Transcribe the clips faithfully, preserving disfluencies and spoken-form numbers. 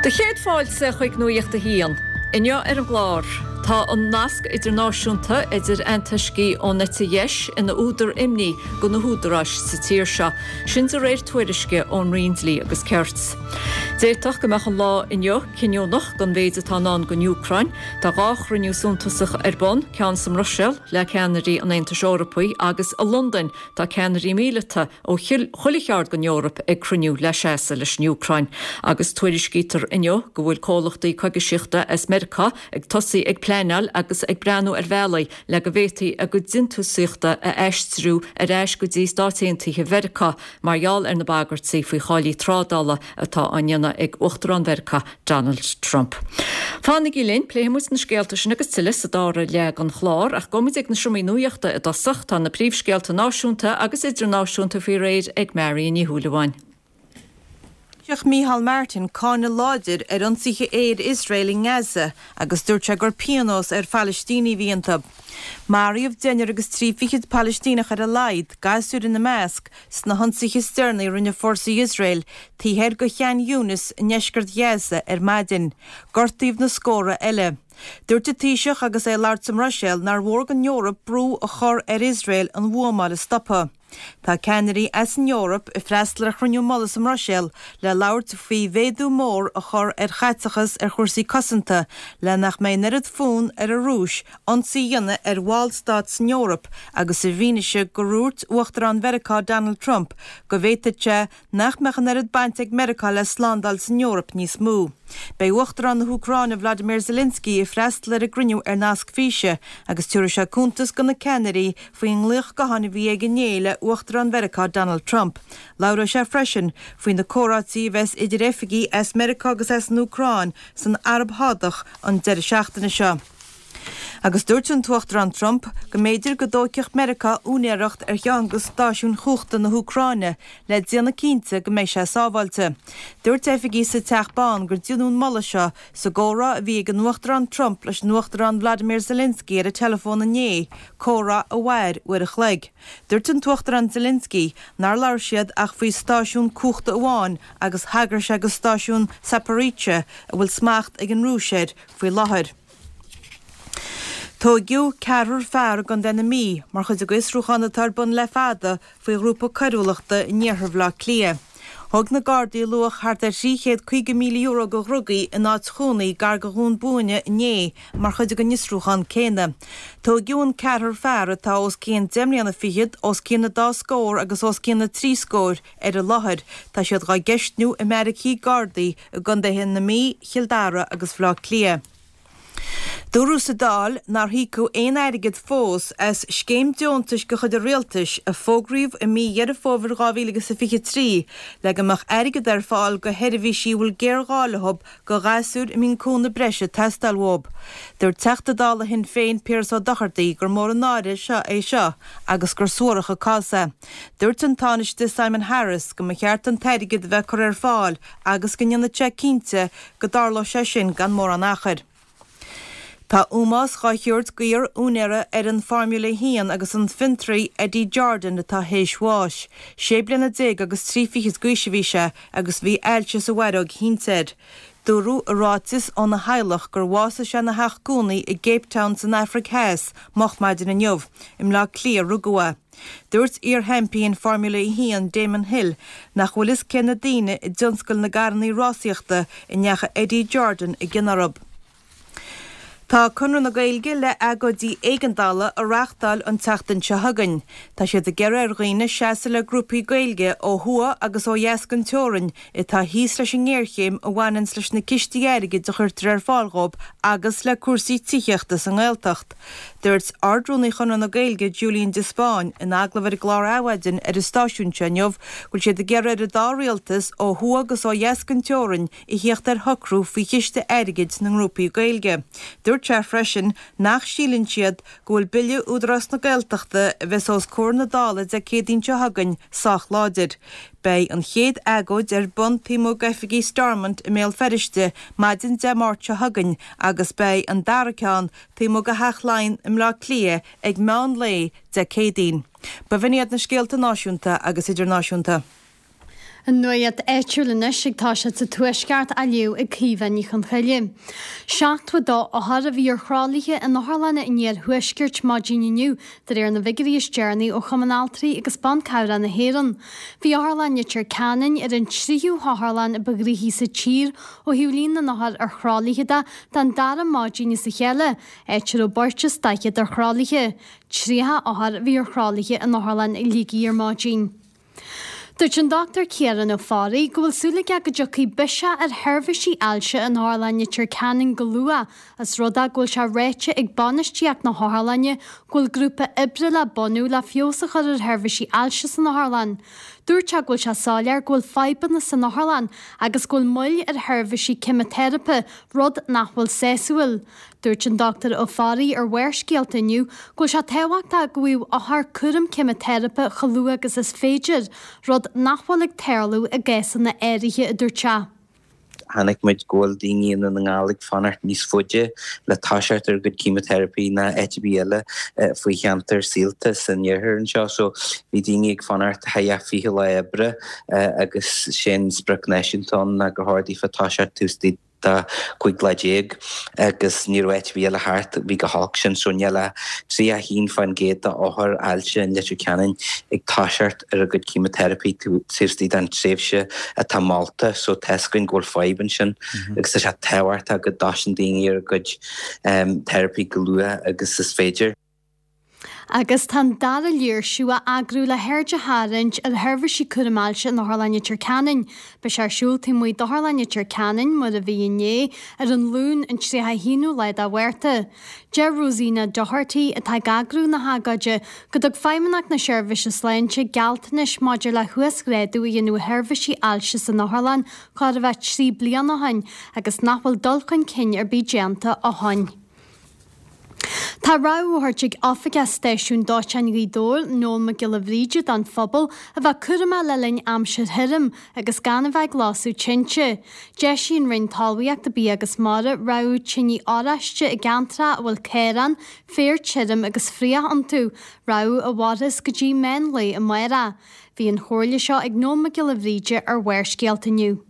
Do chéad fáilte chuig Nuacht a hAon. Inniu ar an gclár, tá an nasc idirnáisiúnta idir antoiscigh ón eite dheis ina údar imní do na húdaráis sa tír seo, sin de réir tuairisce ón Roinn Dlí agus Cirt. D'fhéadfadh go mbeadh an lá inniu cinniúnach don mhéid atá i ndán don Úcráin, Tá dhá chruinniú suntasach ar bun, ceann sa mBruiséil le ceannairí an Aontais Eorpaigh agus i Londain tá ceannairí míleata ó chuile cheard den Eoraip ag cruinniú le seasamh leis an Úcráin. Agus tuairiscítear inniu go bhfuil comhlachtaí coigisíochta as Meiriceá ag tosaí ag pleanáil agus ag breathnú ar bhealaí le go bhféadfaí a gcuid déantúsaíochta a aistriú ar ais go dtí Stáit Aontaithe Mheiriceá mar gheall ar na bagairtí faoi tháillí trádála atá á ndéanamh ag Uachtarán Mheiriceá Donald Trump. Fanaigí linn, pléifimid na scéalta sin agus tuilleadh sa dara leath den chlár ach gabhfaimid ag na seomraí nuachta i dtosach tá na príomhscéalta náisiúnta agus idirnáisiúnta faoi réir ag Marion Ní Shúilleabháin. Taoiseach Micheál Martin cáineadh láidir ar ionsaithe aeir Iosrael i nGaza agus dúirt sé gur pionós ar Phalaistínigh a bhí iontu. Maraíodh deichniúr agus trí fichid Palaistíneach ar a laghad, gasúir ina measc, sna hionsaithe is deireanaí a rinne fórsaí Iosrael taobh thoir de Khan Younis i ndeisceart Ghaza ar maidin. Gortaíodh na scórtha eile. Dúirt an Taoiseach agus é ag labhairt sa mBruiséil nár mhór don Eoraip brú a chur ar Iosrael an bhuamáil a stopadh. Tá ceannairí as an Eoraip ag freastal ar chruinniú mullaigh sa mBruiséil le labhairt faoi mhéadú mór a chur ar chaiteachas ar chúrsaí cosanta le nach mbeidh an oiread fonn ar an Rúis ionsaí a dhéanamh ar bhallstát san Eoraip agus i bhfianaise gur dhúirt Uachtarán Mheiriceá Donald Trump go bhféadfadh sé nach mbeadh an oiread baint ag Meiriceá le slándáil san Eoraip níos mó. Beidh Uachtarán na hÚcráine Vladimir Zelensky ag freastal ar an gcruinniú ar nasc físe agus tabharfaidh sé cuntas do na ceannairí faoin nglaoch gutháin a bhí aige inné le Uachtarán Mheiriceá Donald Trump. Labhróidh sé freisin faoi na comhráití a bheas idir oifigigh as Meiriceá agus as an Úcráin san Araib Shádach an deireadh seachtaine seo. Agus dúirt an tUachtarán Trump go mb'fhéidir go dtógfadh Meiriceá úinéireacht ar cheann de stáisiúin chumhachta na hÚcráine le déanamh cinnte go mbeidh sé sábháilte. Dúirt oifigigh sa Teach Bán gur deineadh an moladh seo sa gcomhrá a bhí ag an Uachtarán Trump leis an Uachtarán Vladimir Zelensky ar an teileafón inné, comhrá a mhair uair a chloig. Dúirt an tUachtarán Zelensky nár labhair siad ach faoi stáisiún cumhachta amháin agus thagair sé do stáisiún Zaporizhzhia a bhfuil smacht ag an Rúis air faoi láthair. Tóigeadh ceathrar fear i gContae na Mí mar chuid de fhiosrúchán atá ar bun le fada faoi ghrúpa coiriúlachta in iarthar Bhaile Átha Cliath. Thóg na Gardaí luach thart ar trí chéad caoga míle euro de dhrugaí in áit chónaí gar do Dhún Búinne inné mar chuid den fhiosrúchán céanna. Tóigeadh an ceathrar fear atá os cionn deich mbliana fichead, os cionn na dá scór agus os cionn na trí scór ar an láthair. Tá siad dhá gceistniú i mbeairicí Gardaí i gcontaetha na Mí, Chill Dara agus Bhaile Átha Cliath. Dúradh sa Dáil nár híocadh aon airgead fós as scéim deontais de chuid an rialtais a fógraíodh i mí Dheireadh Fómhair dhá mhíle agus a fiche trí le go mbeadh airgead ar fáil do sheirbhísí a bhfuil géarghá leo do ghasúir a mbíonn cúnamh breise ag teastáil uathu. Dúirt Teachta Dála Shinn Féin Piaras Ó Dochartaigh gur mór an náire seo é seo agus gur suarach an cás é. Dúirt an Tánaiste Simon Harris go mba cheart an t-airgead a bheith curtha ar fáil agus go ndéanfadh sé cinnte go dtarlódh sé sin gan mórán achair. Tá ómós dhá thabhairt d'iar-úinéara ar an Formula a haon agus an fiontraí Eddie Jordan atá théis bháis. Sé bliana déag agus trí fichid d'aois a bhí sé agus bhí ailse sa bhfaireog thinte air. Dúradh i ráiteas óna theaghlach gur bhásaigh sé ina theach cónaí i gCape Town san Afraic Theas moch maidin inniu. I mBleá Cliath a rugadh é. Dúirt iar-sheaimpín Formula a haon Damon Hill nach bhfuil fhios cé na daoine i dtionscal na gcarrannaí rásaíochta a ndeachaigh Eddie Jordan i gcion orthu. Tá Conradh na Gaeilge le agóidí éigeandála a reáchtáil an tseachtain seo chugainn. Tá siad ag iarraidh ar dhaoine seasamh le grúpaí Gaeilge ó thuaidh agus ó dheas den teorainn atá thíos leis an ngéarchéim a bhaineanns leis na cistí airgid a chuirtear ar fáil dhóibh agus le cúrsaí tithíochta sa nGaeltacht. Dúirt Ard-Rúnaí Chonradh na Gaeilge Julian de Spáinn in agallamh ar an gclár Adhmhaidin ar an stáisiún seo inniu go bhfuil siad ag iarraidh ar an dá rialtas ó thuaidh agus ó dheas den teorainn a theacht ar shocrú faoi chiste airgid na ngrúpaí Gaeilge. Dúirt sé freisin nach síleann siad go bhfuil Bille Údarás na Gaeltachta a bheas os comhair na Dála Dé Céadaoin seo chugainn sách láidir. Beidh an chéad agóid ar bun taobh amuigh d'oifigí Stormont i mBéal Feirste maidin Dé Máirt seo chugainn agus beidh an dara ceann taobh amuigh de Theach Laighean i mBleá Cliath ag meán lae Dé Céadaoin. B'in iad na scéalta náisiúnta agus idirnáisiúnta. An nuacht áitiúil anois ag toiseacht sa Tuaisceart á léamh ag Caoimhe Ní Chonchoille. Seachtó a dó othar a bhí ar thralaithe in otharlanna an iarthuaiscirt maidin inniu, de réir na bhfigiúirí is deireanaí ó Chumann Altraí agus Ban Cabhrach na hÉireann. Bhí Otharlann Leitir Ceanainn ar an tríú hotharlann ba ghnoithí sa tír ó thaobh líon na n-othar ar thralaithe de don dara maidin as a chéile, áit a raibh beirt is daichead ar thralaithe. Tríocha othar a bhí ar thralaithe in Otharlann Shligigh ar maidin. Dúirt an Dochtúir Ciarán Ó Fearraigh go bhfuil súil aige go dtiocfaidh biseach ar sheirbhísí ailse in Otharlann Leitir Ceanainn go luath, os rud é go bhfuil sé ráite ag bainistíocht na hotharlainne go bhfuil grúpa oibre le bunú le feabhas a chur ar sheirbhísí ailse san otharlann. Dúirt sé go bhfuil sé soiléir go bhfuil fadhbanna san otharlann agus go bhfuil moill ar sheirbhísí ceimiteiripe, rud nach bhfuil sásúil. Dúirt an Dochtúir Ó Fearraigh ar Bharrscéalta inniu go bhfuil sé tábhachtach go bhfaigheadh othair cúram ceimiteiripe chomh luath agus is féidir, rud nach bhfuil ag tarlú i gcásanna áirithe, a dúirt sé. Chonaic muid go bhfuil daoine i nDún na nGall ag fanacht níos faide le toiseacht ar a gcuid ceimiteiripe ná áit ar bith eile faoi cheantar Saolta san iarthar anseo. So bhí daoine ag fanacht thart fiche lá oibre agus sin sprioc náisiúnta ann ná gur chóir daofa toiseacht taobh istigh de cúig lá déag agus ní raibh áit ar bith eile thart bhí go holc sin so níl ach tríocha haon faoin gcéad d'othair ailse in Leitir Ceanainn ag toiseacht ar a gcuid ceimiteiripe taobh istigh den tréimhse atá molta so tá a fhios againn go bhfuil fadhb ansin agus tá sé tábhachtach go dtosaíonn daoine ar a gcuid teiripí go luath agus is féidir. Agus tá an dara léirsiú á eagrú le haird a tharraingt ar sheirbhísí cúraim ailse in Otharlann Leitir Ceanainn. Beidh sé ar siúl taobh amuigh d'Otharlann Leitir Ceanainn, mar a bhí inné, ar an Luan an tríocha haonú lá de Mhárta. Deir Rosina Doherty, atá ag eagrú na hagóide, go dtug Feidhmeannacht na Seirbhíse Sláinte gealltanais maidir le huasghrádú a dhéanamh ar sheirbhísí ailse san otharlann chóir a bheith trí bliana ó shin agus nach bhfuil dul chun cinn ar bith déanta ó shin. Tá rabhadh á thabhairt ag Oifigeach Stáisiún Dóiteáin Ghaoth Dobhair, Noel Mac Giolla Bhríde don phobal a bheith cúramach le linn aimsir thirim agus gan a bheith ag lasadh tinte. D'eisigh an Roinn Talmhaíochta, Bia agus Mara rabhadh tine oráiste i gceantracha a bhfuil caoráin, féar tirim agus fraoch iontu, rabhadh a mhairfeas go dtí meán lae amárach. Bhí an chomhairle seo ag Noel Mac Giolla Bhríde ar Bharrscéalta inniu.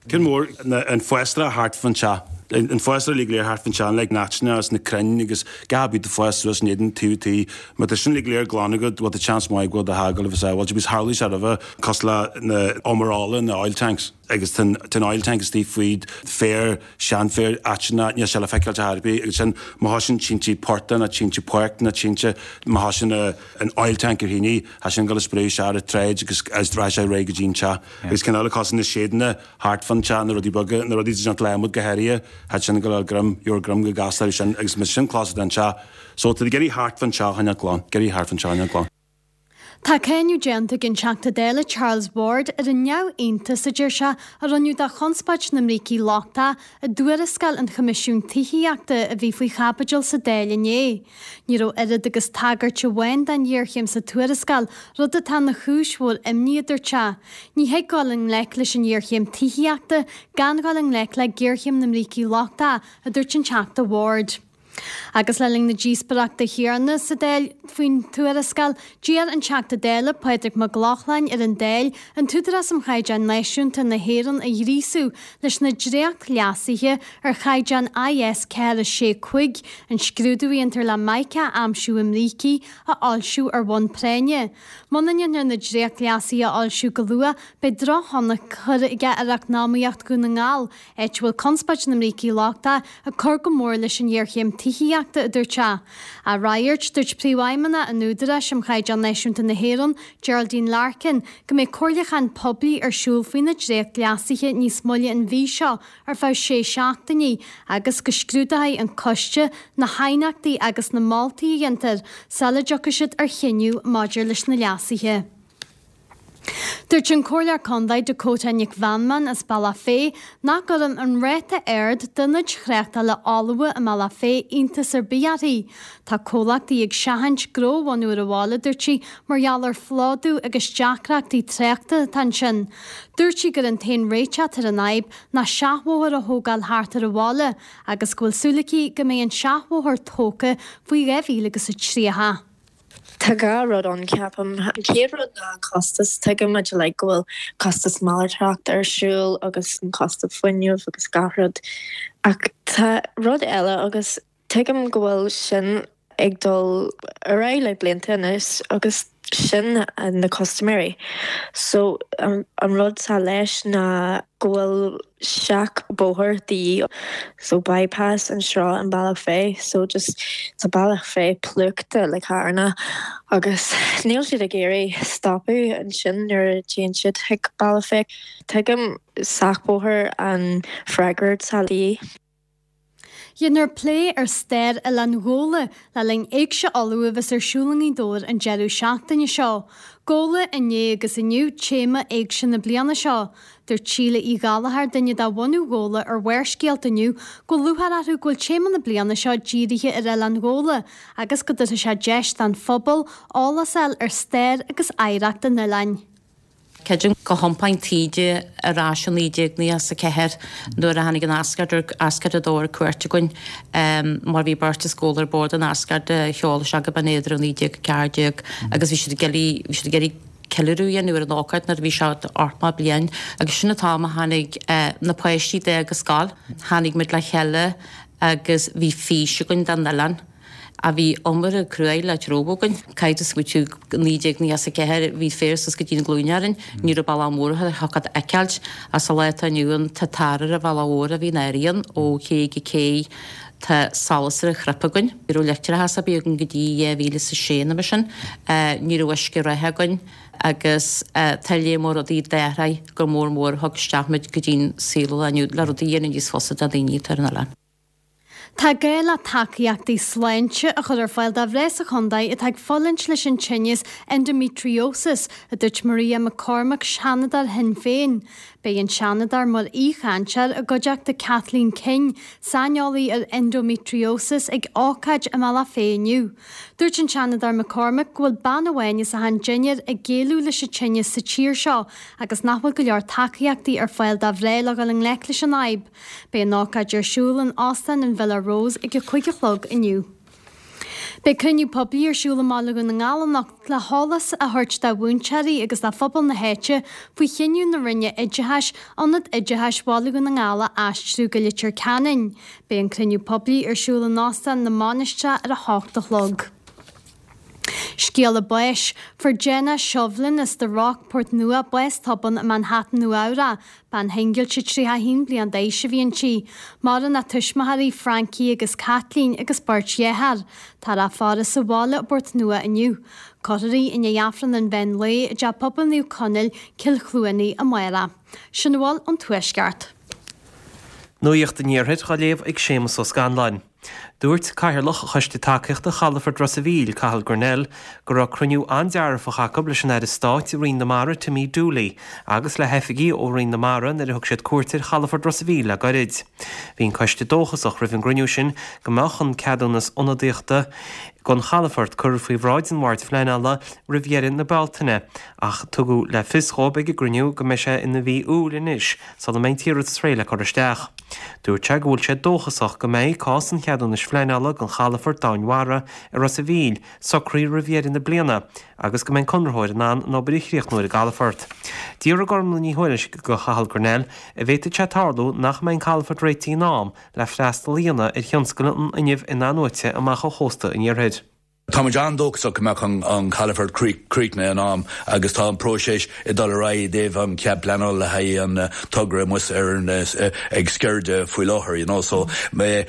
Ceann mór an fásra thart fán teach. An fásra uilig go léir thart fán teach, like na haiteanna agus na crainn agus gach ar bith ag fás suas in éadan taobh tí. Má tá sin uilig go léir glan agat, bhuel tá seans maith go bhfuil do theach ag dul a bheith sábháilte. Agus tharlaigh sé roimhe cosúil le na umarála, na oil tanks. Agus tá an oil tank istigh faoi féar, seanfhéar, aiteanna, níl sé le feiceáil ar bith. Agus sin má thosaíonn tinte portaigh nó tinte páirce nó tinte, má thosaíonn an oil tank ar thine, tá sin ag dul a spréadh isteach ar an tsráid agus agus rachaidh sé ar aghaidh go dtí an teach. Agus ceann eile cosúil na séideanna thart fán teach, na rudaí beaga, na rudaí déanta le adhmad go háirithe, tá sin ag dul ar greim, gheobhair greim go gasta air sin agus má sin cloistear den teach. So tá ag iarraidh thart fán teach a choinneáil glan, ag iarraidh thart fán teach a choinneáil glan. Tá cáineadh déanta ag an Teachta Dála Charles Ward ar an neamhiontas, a deir sé, a rinneadh de chonspóid na mbrící lochtacha i dtuarascáil an Choimisiúin Tithíochta a bhí faoi chaibidil sa Dáil inné. Ní raibh oiread agus tagairt amháin don ghéarchéim sa tuarascáil, rud atá ina chúis mhór imní, a dúirt sé. Ní thig dul i ngleic leis an ngéarchéim tithíochta gan dul i ngleic le géarchéim na mbrící lochtacha, a dúirt an Teachta Ward. Agus le linn na díospóireachta céanna sa Dáil faoin tuarascáil, d'iarr an Teachta Dála Pádraig Mac Lochlainn ar an Dáil an tÚdarás um Chaighdeáin Náisiúnta na hÉireann a ghríosú leis na dréacht-leasuithe ar chaighdeán I S ceathair sé cúig, an scrúdú a dhéantar le mica a aimsiú i mbrící, a fhoilsiú ar bhonn práinne. Muna ndéantar na dréacht-leasuithe a fhoilsiú go luath, beidh drochthionchar aige ar eacnamaíocht Dhún na nGall, áit a bhfuil conspóid na mbrící lochtacha ag cur go mór leis an ngéarchéim tithíochta, a dúirt sé. Á fhreagairt, dúirt Príomhfheidhmeannach an Údaráis um Chaighdeán Náisiúnta na hÉireann, Geraldine Larkin, go mbeidh comhairliúchán poiblí ar siúl faoi na dréacht-leasuithe níos moille an mhí seo ar feadh sé seachtainí agus go scrúdóidh an coiste na haighneachtaí agus na moltaí a dhéantar sula dtiocfaidh siad ar chinneadh maidir leis na leasuithe. Dúirt an Comhairleoir Contae Dakota Nic Mheanman as Bealach Féich nach gcuireann an ráta ard d'ionaid thráchtála fholmha i mBealach Féich iontas ar bith uirthi. Tá comhlachtaí ag seachaint gnó a bhunú ar an bhaile, dúirt sí, mar gheall ar phlódú agus deacrachtaí tráchta atá ansin. Dúirt sí gur an t-aon réiteach ar an fhadhb ná seachbhóthar a thógáil thart ar an bhaile agus go bhfuil súil aici go mbeidh an seachbhóthar tógtha faoi dhá mhíle agus a tríocha. Tá dhá rud ann ceapaim. An chéad rud ná an costas tuigim muid like go bhfuil costas malartacht ar siúl agus an costas fuinnimh agus gach rud. Ach tá rud eile agus tuigim go bhfuil sin ag dul ar aghaidh le blianta anois agus sin na custaiméirí. So um, an rud sa leis ná go bhfuil seachbhóthar de dhíth so bypass anseo an Bealach Féich so just tá Bealach Féich plúchta le carranna agus níl siad ag iarraidh stopadh ansin nuair a théann siad chuig Bealach Féich. Tuigim seachbhóthar an freagra sa dhíth. Dhéanfar plé ar stair Oileán Ghabhla le linn Éigse Uladh a bheas ar siúl i nGaoth Dobhair an deireadh seachtaine seo. Gabhla inné agus inniu téama éigse na bliana seo. Dúirt Síle Uí Ghallchóir duine de bhunú Ghabhla ar Bharrscéalta inniu go bhfuil lúcháir orthu go bhfuil téama na bliana seo dírithe ar Oileán Ghabhla agus go dtabharfaidh sé deis don phobal eolas a fháil ar stair agus oidhreacht an oileáin. Creidim go thiompáin taoide ar ais i naoi déag nócha a ceathair nuair a tháinig an Asgard Asgard a dó ar cuairt againn mar bhí beirt as Gabhla ar bord an Asgard a sheol isteach go Binn Éadair i naoi déag a ceathair déag agus bhí siad ag iarraidh bhí siad ag iarraidh ceiliúradh a dhéanamh ar an ócáid nuair a bhí sé ochtó bliain agus sin an t-am a tháinig na páistí d'fhág an scoil. Tháinig muid le chéile agus bhí fís againn don oileán. a bhí iomarca cruaidh le treabhadh againn. Caithfidh tú smaoitiú naoi déag nócha a ceathair bhí féar suas go dtí na glúine orainn, ní raibh bealach mór a thiocfadh a fheiceáilt as sa lá atá inniu ann tá tar ar an bhealach mhór a bhí in Éirinn ó ché go cé tá solas ar an chnip againn. Ní raibh leictreachas ar bith againn go dtí dhá mhíle is a sé nó mar sin, ní raibh uisce reatha againn agus tá léar mór rudaí d'athraigh go mór mór thug isteach muid go dtí'n saol inniu le rudaí a dhéanamh níos fusa do dhaoine atá ar an oileán. Tá gá le tacaíochtaí sláinte a chur ar fáil do mhná sa chontae atá ag fulaingt leis an tinneas endometriosis, a dúirt Maria McCormack, Seanadóir Shinn Féin. Beidh an Seanadóir mar aoichainteoir i gcuideachta Kathleen King, saineolaí ar endometriosis ag ócáid i mBealach Féich inniu. Dúirt an Seanadóir McCormack go bhfuil bean amháin as achan deichniúr ag géilleadh leis an tinneas sa tír seo agus nach bhfuil go leor tacaíochtaí ar fáil do mhná le dhul i ngleic leis an fhadhb. Beidh an ócáid ar siúl in Óstán an Villa Rose ag a cúig a chlog inniu. Beidh cruinniú poiblí ar siúl i mBaile Dhún na nGall anocht le heolas a thabhairt do mhúinteoirí agus do phobal na háite faoi chinneadh na Roinne Oideachais Ionad Oideachais Bhaile Dhún na nGall a aistriú go Leitir Ceanainn. Beidh an cruinniú poiblí ar siúl in Óstán na Mainistreach ar a hocht a chlog. Scéala báis, fuair Jenna Shovlin as The Rock Port Nua bás tobann i Manhattan Nua Eabhrac, bean shingilte tríocha a haon bliain d'aois a bhí inti. Maireann a tuismitheoirí Frankie agus Kathleen agus beirt dhearthár. Tá a faire sa bhaile i bPort Nua inniu. Cuirfear í i ndiaidh Aifreann an mheán lae i dTeach Pobail Naomh Conaill, Cill Chluanaí amárach. Sin a bhfuil ón Tuaisceart. Nuacht an Iarthair á léamh ag Séamus Ó Scanláin. Dúirt Cathaoirleach Choiste Tacaíochta Chalafort Ros an Mhíl, Cathal Grennell, go raibh cruinniú an-dearfach acu leis an Aire Stáit i Roinn na Mara Timmy Dooley agus le hoifigigh ó Roinn na Mara nuair a thug siad cuairt ar Chalafort Ros an Mhíl le gairid. Bhí an coiste dóchasach roimh an gcruinniú sin go mbeadh an ceadúnas ionadaíochta don chalafort curtha faoi bhráid an Bhoird Phleanála roimh dheireadh na Bealtaine, ach tugadh le fios dóibh ag an gcruinniú go mbeidh sé ina mhí Iúil anois sula mbeidh an t-iarratas réidh le cur isteach. Dúirt sé go bhfuil sé dóchasach go mbeidh cás an cheadúnais phleanála don chalafort domhainmhara i Ros an Mhíl socraithe roimh dheireadh na bliana agus go mbeidh an conraitheoir in ann an obair a chríochnú ar an gcalafort. D'fhiafraigh Gormlaith Ní Thuairisg de Chathal Grennell an bhféadfadh sé tarlú nach mbeidh an calafort réitithe in am le freastal a dhéanamh ar thionscal an fhuinnimh in-athnuaite amach ó chósta an iarthair. Táimid an-dóchasach go mbeadh an, an calafort críochnaithe in am agus tá an próiseas ag dul ar aghaidh i dtaobh an cead pleanála le haghaidh an uh, togra amuigh ar an uh, ag Sceirde faoi láthair, you know, so me,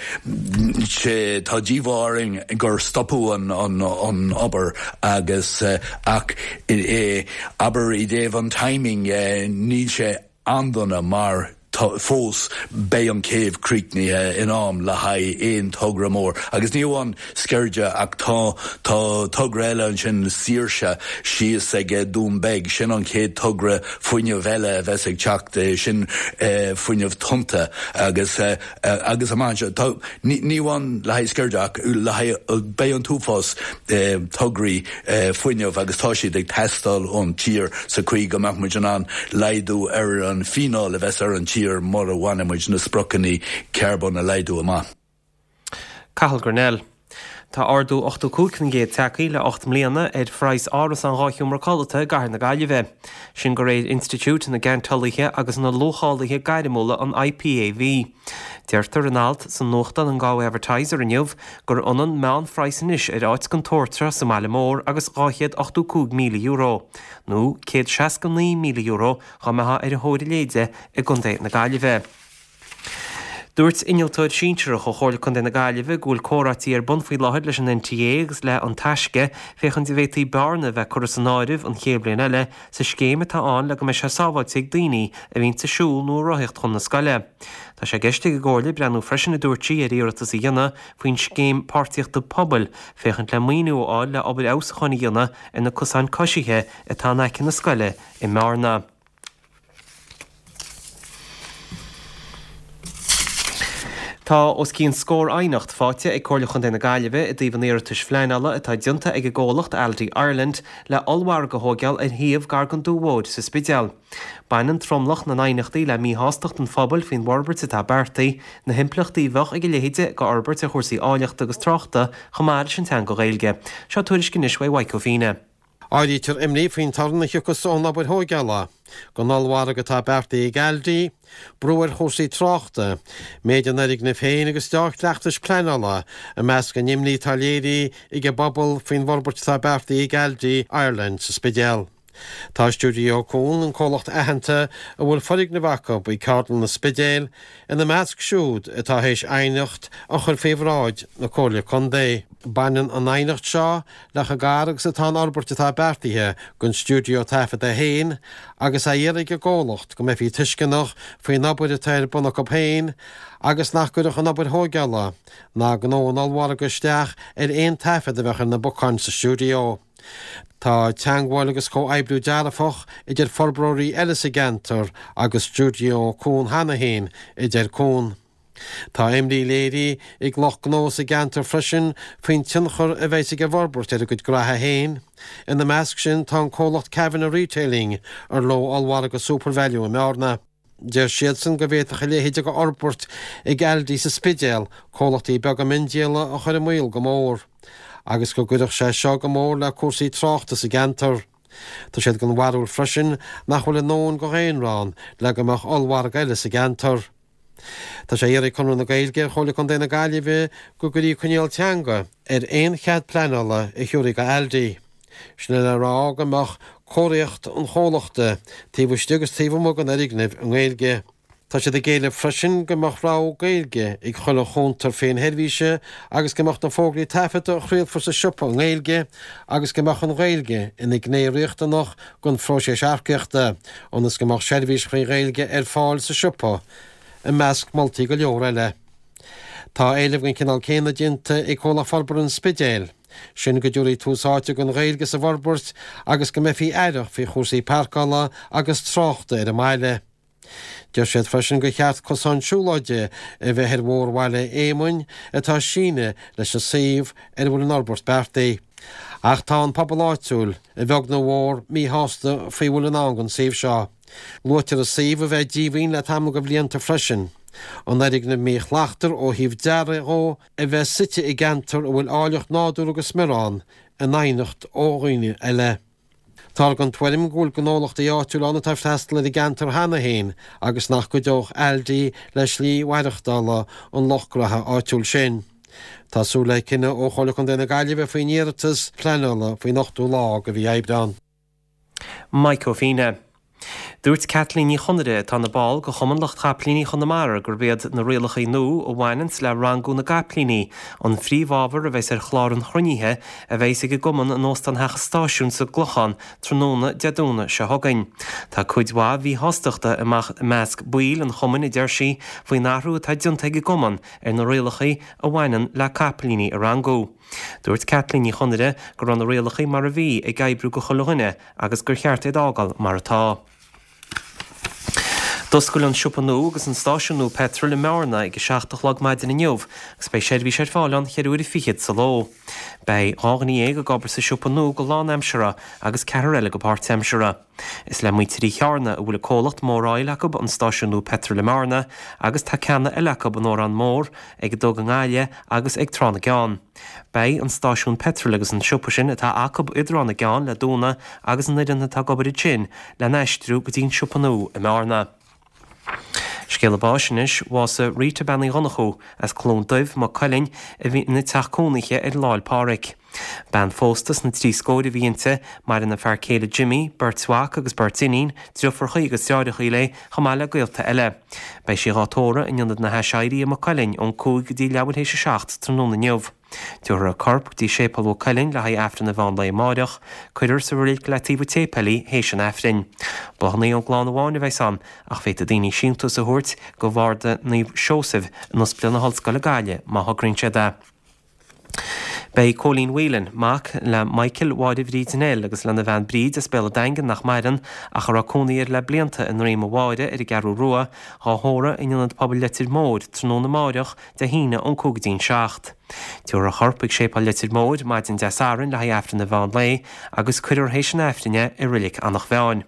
sé, tá díomá orainn gur stopadh an, an, an obair agus uh, ach e, abair i dtaobh an timing uh, níl sé an-dona mar fós beidh an céibh críochnaithe in am le haghaidh aon togra mór. Agus ní amháin Sceirde ach tá tá togra eile ansin Saoirse síos ag Dún Beag sin an chéad togra fuinnimh eile a bheas ag teacht sin eh, fuinneamh tonnta agus eh, agus amach ní amháin le haghaidh Sceirde ach le haghaidh beidh an t-uafás eh, tograí fuinnimh agus tá siad ag teastáil ón tír sa chaoi go mbeadh muid in ann laghdú ar an fíneáil a bheas ar an tír mura bhfaighidh muid na spriocanna carbón a laghdú amach. Cathal Grennell. Tá ardú ochtó cúig faoin gcéad tagtha le ocht mbliana ar phraghas árasán dhá sheomra codlata i gcathair na Gaillimhe. Sin de réir Institiúid na gCeanteolaithe agus na Luachálaithe Gairmiúla an IPAV. Deirtear in alt sa nuachtán an Galway Advertiser inniu gur ionann meánphraghas anois ar áit den tsórt seo sa mbaile mór agus dhá chéad ochtó cúig míle euro, nó céad seasca naoi míle euro dá mbeifeá ar thóir a leithéide i gContae na Gaillimhe. Dúirt innealtóir sinsearach ó Chomhairle Contae na Gaillimhe go bhfuil comhráití ar bun faoi láthair leis an NTA agus le An Taisce féachaint an bhféadfaí bearna a bheith curtha san áireamh an chéad bhliain eile sa scéim atá ann le go mbeidh sé sábháilte ag daoine a bhíonn ag siúl nó ag rothaíocht chun na scoile. Tá sé i gceist ag an gComhairle breathnú freisin a dúirt sí ar iarratas a dhéanamh faoin scéim páirtíochta pobail féachaint le maoiniú a fháil le obair fheabhsúcháin a dhéanamh ar na cosáin coisithe atá in aice na scoile i mBearna. Tá os cionn scór aighneacht faighte ag Comhairle Chontae na Gaillimhe i dtaobh an iarratais phleanála atá déanta ag an gcomhlacht Aldi Ireland le ollmhargadh a thóigeáil ar shuíomh gar don Dumha Mhóir sa Spidéal. Baineann tromlach na n-aighneachtaí le míshástacht an phobail faoin bhforbairt atá beartaithe, na himpleachtaí a bheadh ag a leithéid de fhorbairt ar chúrsaí áilleachta agus tráchta chomh maith leis an teanga Ghaeilge. Seo tuairisc anois uaidh Mhaidhc Ó Fíne. Áirítear imní faoin torann a thiocfas ón obair thóigeála don ollmhargadh atá beartaithe ag Aldi, brú ar chúrsaí tráchta, méid an fhoirgnimh féin agus deá-chleachtais pleanála i measc an imní atá léirithe ag an bpobal faoin bhforbairt atá beartaithe ag Aldi Ireland sa Spidéal. Tá Stiúideo Cuan, an comhlacht aitheanta a bhfuil foirgneamh acu i gCeardlann an Spidéil, ina measc siúd atá théis aighneacht a chur faoi bhráid na Comhairle Contae. Baineann an aighneacht seo le chomh gar agus atá an fhorbairt atá beartaithe don stiúideo taifeadta féin agus á iarraidh ag an gcomhlacht go mbeifí tuisceanach faoin obair atá ar bun acu féin agus nach gcuirfeadh an obair thóigeála ná gnó an ollmhargaidh isteach ar aon taifead a bheadh ar na bacáin sa stiúideo. Tá teagmháil agus comhoibriú dearfach idir forbróirí eile sa gceantar agus Stiúideo Cuan cheana féin, a deir Cuan. Tá imní léirithe ag lucht gnó sa gceantar freisin faoin tionchar a bheas ag an bhforbairt ar a gcuid gnoithe féin. Ina measc sin tá an comhlacht Kavanagh Retailing, ar leo ollmhargadh SuperValu i mBearna. Deir siadsan go bhféadfadh a leithéid de fhorbairt ag Aldi sa Spidéal comhlachtaí beaga miondíola a chur i mbaol go mór agus go gcuirfeadh sé seo go mór le cúrsaí tráchta sa gceantar. Tá siad den bharúil freisin nach bhfuil a ndóthain de dhaonra ann le go mbeadh ollmhargadh eile sa gceantar. Tá sé á iarraidh ag Conradh na Gaeilge ar Chomhairle Contae na Gaillimhe go gcuirfí coinníoll teanga ar aon chead pleanála a thabharfaí do Aldi. Sin é le rá go mbeadh comharthaíocht an chomhlachta taobh istigh agus taobh amuigh den fhoirgneamh i nGaeilge. Tá siad ag éileamh freisin go mbeadh rogha Gaeilge ag chuile chuntar féinsheirbhíse agus go mbeadh na fógraí taifeadta a chraolfar sa siopa i nGaeilge agus go mbeadh an Ghaeilge ina gné riachtanach den phróiseas earcaíochta ionas go mbeadh seirbhís trí Ghaeilge ar fáil sa siopa, i measc moltaí go leor eile. Tá éileamh den chineál céanna déanta ag Comhlacht Forbartha an Spidéil, sin go dtabharfaí tús áite don Ghaeilge sa bhforbairt agus go mbeifí aireach faoi chúrsaí páirceála agus tráchta ar an mbaile. Deir siad freisin gur cheart cosán siúlóide a bheith ar Bhóthar Bhaile Éamoinn atá ag síneadh leis an suíomh ar a bhfuil an fhorbairt beartaithe. Ach tá an pobal áitiúil, a bheag nó a mhór, míshásta faoi a bhfuil i ndán don suíomh seo. Luaitear an suíomh a bheith díomhaoin le tamall de bhlianta freisin. An fhoirgneamh míshlachtmhar ó thaobh dearaidh dhó a bheith suite i gceantar a bhfuil áilleacht nádúrtha go smior ann, in aighneacht ó dhaoine eile. Táthar den tuairim go bhfuil gnólachtaí áitiúla ann atá ag freastal ar an gceantar cheana féin agus nach gcuideodh Aldi le slí mhaireachtála an lucht gnaithe áitiúil sin. Tá súil le cinneadh ó Chomhairle Contae na Gaillimhe faoin iarratas pleanála faoin ochtú lá de mhí Aibreán. Mike Ó Fíne. Dúirt Caitlín Ní Chonaire, atá ina ball de Chumann Lucht Chapaillíní Chonamara, gurb iad na rialacha nua a bhaineanns le rangú na gcapaillíní an phríomhábhar a bheas ar chlár an chruinnithe a bheas ag an gcumann in Óstán Theach an Stáisiúin sa gClochán tráthnóna Dé Domhnaigh seo chugainn. Tá cuid mhaith mhíshástachta i measc baill an chumainn, a deir sí, faoin athrú atá déanta ag an gcumann ar na rialacha a bhaineann le capaillíní a rangú. Dúirt Caitlín Ní Chonaire go raibh na rialacha mar a bhí ag oibriú go chuile dhuine agus gur cheart iad a fhágáil mar atá. D'oscail an siopa nua agus an stáisiún nua peitril i mBearna ag a seacht a chlog maidin inniu agus beidh seirbhís ar fáil ann ceithre huaire fichead sa ló. Beidh dhá dhuine dhéag ag obair sa siopa nua go lánaimseartha agus ceathrar eile go páirtaimseartha. Is le muintir Uí Chearna a bhfuil a comhlacht Mór Oil acu an stáisiún nua peitril i mBearna agus tá ceanna eile acu in Órán Mór, ag an Dug i nGaillimh agus ag Trá na gCeann. Beidh an stáisiún peitril agus an siopa sin atá acu i dTrá na gCeann le dúnadh agus an fhoireann atá ag obair ansin le n-aistriú go dtí an siopa nua i mBearna. Scéala báis anois, bhásaigh Rita Bean Uí Dhonnchú as Cluain Daimh, Maigh Cuilinn, a bhí ina teach cónaithe ar Lá 'le Pádraig. Bean phósta sna trí scóir a bhí inti, maireann a fear céile Jimmy, beirt mhac agus beirt iníon, driofúrachaí agus deartháireachaí léi, chomh maith le gaolta eile. Beidh sí dhá tórramh in Ionad na hAiséirí i Maigh Cuilinn ón cúig go dtí leathuair théis a seacht tráthnóna inniu. Tabharfar a corp go dtí Séipéal Mhaigh Cuilinn le haghaidh Aifreann an mheán lae amáireach. Cuirfear sa reilig le taobh an tséipéil í théis an Aifrinn. Bláthanna ón gclann amháin a bheas ann, ach féadfaidh daoine síntiús a thabhairt go Bharda Naomh Seosamh in Ospidéal na hOllscoile Gaillimh má thograíonn siad é. Beidh Cóilín Whelan, mac le Michael Mháire Bhríd Nell agus lena bhean Bríd as Béal an Daingin nach maireann ach a raibh cónaí air le blianta i nDroim a' Bháire ar an gCeathrú Rua, dhá thórramh in Ionad Pobail Leitir Móir tráthnóna amáireach, Dé hAoine ón cúig go dtí'n seacht. Tabharfar a chorp chuig Séipéal Leitir Móir maidin Dé Sathairn le haghaidh Aifreann an mheán lae agus cuirfear théis an Aifrinn é i Reilig Eanach Mheáin.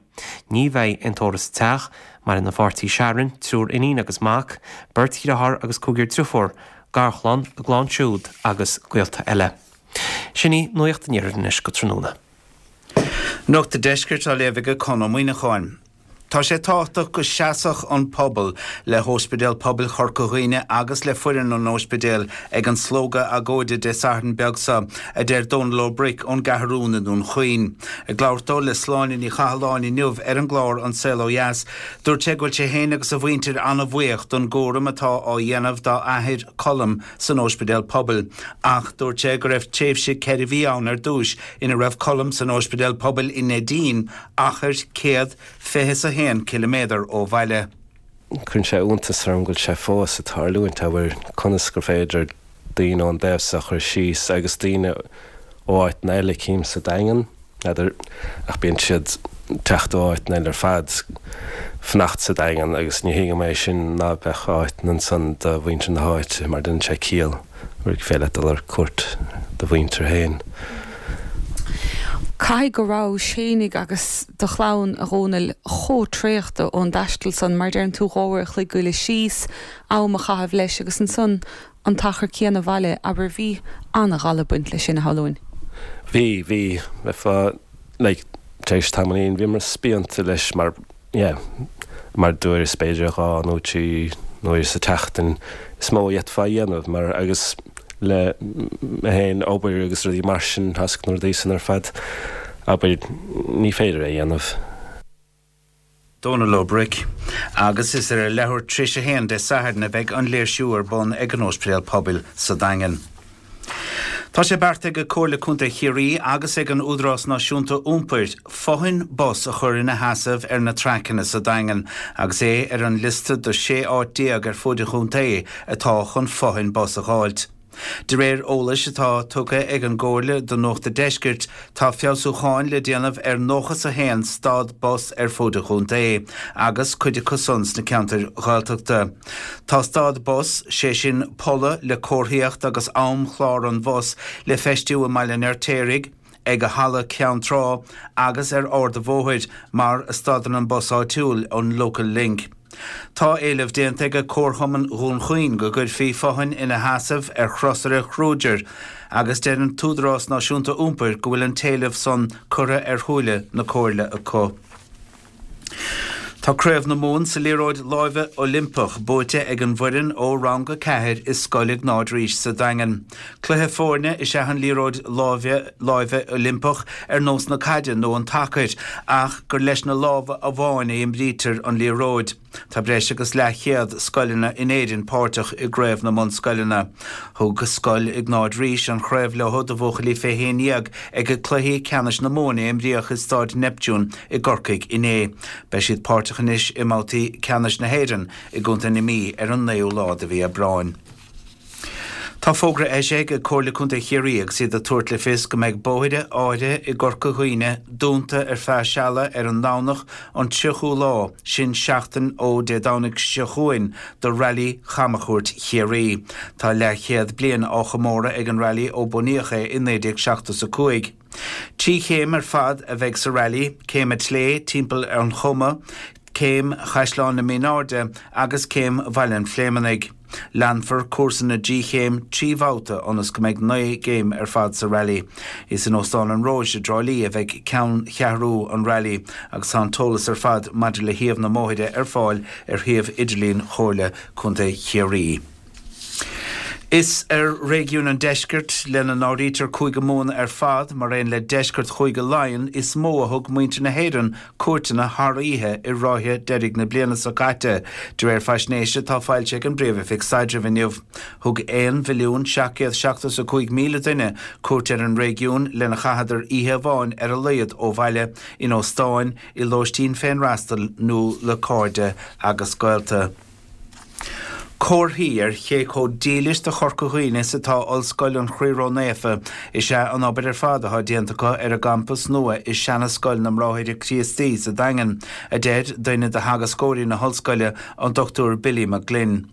Ní bheidh aon tórramh sa teach. Maireann a pháirtí Sharon, triúr iníon agus mac, beirt dhriotháir agus cúigear driofúr, garchlann, a gclann siúd agus gaolta eile. Sin í Nuacht an Iarthair anois go tráthnóna. Nuacht an Deiscirt á léamh ag Conn Ó Muíneacháin. Tá sé tábhachtach go seasfadh an pobal le hÓispidéal Pobail Chorca Dhuibhne agus le foireann an óispidéil ag an slógadh agóide Dé Sathairn beag seo, a deir Dónal Ó Bric ón gCeathrún i nDún Chaoin. Ag labhairt dó le Sláine Ní Chathalláin inniu ar an gclár An Saol Ó Dheas, dúirt sé go bhfuil sé féin agus a mhuintir an-bhuíoch don gcúram atá á dhéanamh dá athair, Colm, san Óispidéal Pobail. Ach dúirt sé go raibh tréimhse ceithre mhí ann ar dtúis ina raibh Colm san Óispidéal Pobail i Neidín, achar céad fiche is a haon ciliméadar ó bhaile. Cuireann sé iontas orm go bhfuil sé fós ag tarlúint, abair, conas gur féidir daoine ón dtaobh seo a chur síos agus daoine ó áiteanna eile cím sa Daingean, n'fheadar, ach bíonn siad ag teacht ó áiteanna eile ar fad, fanacht sa Daingean agus ní thuigim é sin ná beadh áiteanna ansan do mhuintir na háite mar déanann sé ciall gur féidir leat dul ar cuairt do mhuintir féin. Caithfidh go raibh fhéinig agus do chlann, a Dhónaill, chomh traochta ón dtaisteal san, mar deireann tú, dhá uair a chloig goile síos, am a chaitheamh leis agus ansan an t-achar céanna abhaile, abair, bhí an-ghal ag baint leis sin, a shamhlóinn. Bhí, bhí, bheifeá, like, tar éis tamaillín, bhíomar spíonta leis mar, yeah, mar dúirt b'fhéidir dhá nó trí uair sa tseachtain is mó a d'fhéadfá a dhéanamh mar agus le mé féin obair agus rudaí mar sin thasc na rudaí san ar fad abair ní féidir é a dhéanamh. Dónal Ó Bric. Agus is ar a leathuair tar éis a haon Dé Sathairn a bheidh an léirsiú ar bun ag an Óispidéal Pobail sa Daingean. Tá sé beartaithe ag Comhairle Contae Chiarraí agus ag an Údarás Náisiúnta Iompair fothain bus a chur ina sheasamh ar na traiceanna sa Daingean agus é ar an liosta de sé áit déag ar fud an chontae atá chun fothain bus a dh'fháilt. De réir eolais atá tugtha ag an gComhairle do Nuacht a' Deiscirt, tá feabhsúcháin le déanamh ar nócha 's a haon stad bus ar fud an chontae, agus cuid acu san sna ceantair Ghaeltachta. Tá stad bus, sé sin polla le comharthaíocht agus amchlár an bhus, le feistiú i mBaile an Fheirtéaraigh, ag Halla Ceann Trá agus ar Ard a' Bhóthair, mar a stadann an bus áitiúil, an Local Link. Tá éileamh déanta ag Comharchumann Dhún Chaoin go gcuirfí fothain ina sheasamh ar chrosaire Kruger agus deir an tÚdarás Náisiúnta Iompair go bhfuil an t-éileamh san curtha ar shúile na Comhairle acu. Tá Craobh na Mumhan sa liathróid láimhe Oilimpeach buaite ag an bhfoireann ó Rang a ceathair i Scoil Iognáid Rís sa Daingean. Cluiche foirne is ea an liathróid láimhe láimhe Oilimpeach ar nós na caide nó an tsacair ach gur leis na lámha amháin a imrítear an liathróid. Tá breis agus leathchéad scoileanna in Éirinn páirteach i gCraobh na mBunscoileanna. Thug Scoil Iognáid Rís an chraobh leo do bhuachaillí fé haon dhéag ag Cluichí Ceannais na Mumhan a imríodh i Stáid Neptune i gCorcaigh inné. Beidh siad páirteach anois i mbabhtaí ceannais na hÉireann i gContae na Mí ar an naoú lá de mhí Aibreáin. Tá fógra eisithe ag Comhairle Contae Chiarraí agus iad ag tabhairt le fios go mbeidh bóithre áirithe i gCorca Dhuibhne dúnta ar feadh seala ar an nDomhnach an tríochú lá, sin seachtain ó Dé Domhnaigh seo chugainn, do Railí Chamchuairt Chiarraí. Tá leathchéad bliain á chomóradh ag an railí ó bunaíodh é i naoi déag seachtó is a cúig. Trí chéim ar fad a bheidh sa railí, Céim an tSlé timpeall ar an Choma, Céim Chaisleán na Mínáirde agus Céim Bhaile an Phléimeannaigh. Leanfar cúrsa na dtrí chéim trí bhabhta ionas go mbeidh naoi gcéim ar fad sa railí. Is in Óstán an Róis i dTrá Lí a bheidh ceanncheathrú an railí agus tá an t-eolas ar fad maidir le shuíomh na mbóithre ar fáil ar shuíomh idirlín Chomhairle Contae Chiarraí. Is ar réigiún an deiscirt, lena n-áirítear Cúige Mumhan ar fad, mar aon le deisceart Chúige Laighean, is mó a thug muintir na hÉireann cuairteanna thar oíche i ráithe deiridh na bliana seo caite, de réir faisnéise atá foilsithe ag an bPríomh-Oifig Staidrimh inniu. Thug aon mhilliún seacht gcéad seachtó is a cúig míle duine cuairt ar an réigiún lena chaitheadar oíche amháin ar a laghad ó bhaile, in óstáin, i lóistín féinfhreastail nó le cairde agus gaolta. Comharthaí ar cé chomh dílis do Chorca Dhuibhne is atá Ollscoil an Chroí Ró-Naofa is ea an obair ar fad atá déanta acu ar a gcampas nua i seana-scoil na mBráithre Críostaí sa Daingean, a deir duine de theagascóirí na hollscoile, an Dochtúir Billy McGlynn.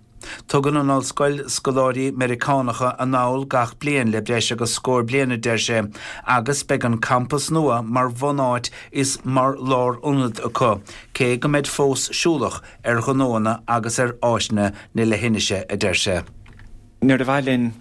Tugann an ollscoil scoláirí Meiriceánacha anall gach bliain le breis agus scór bliain, a deir sé, agus beidh an campas nua mar bhunáit is mar lárionad acu, cé go mbeid fós siúlach ar ghnóanna agus ar áiseanna na leithinise, a deir sé. Níor mhaith linn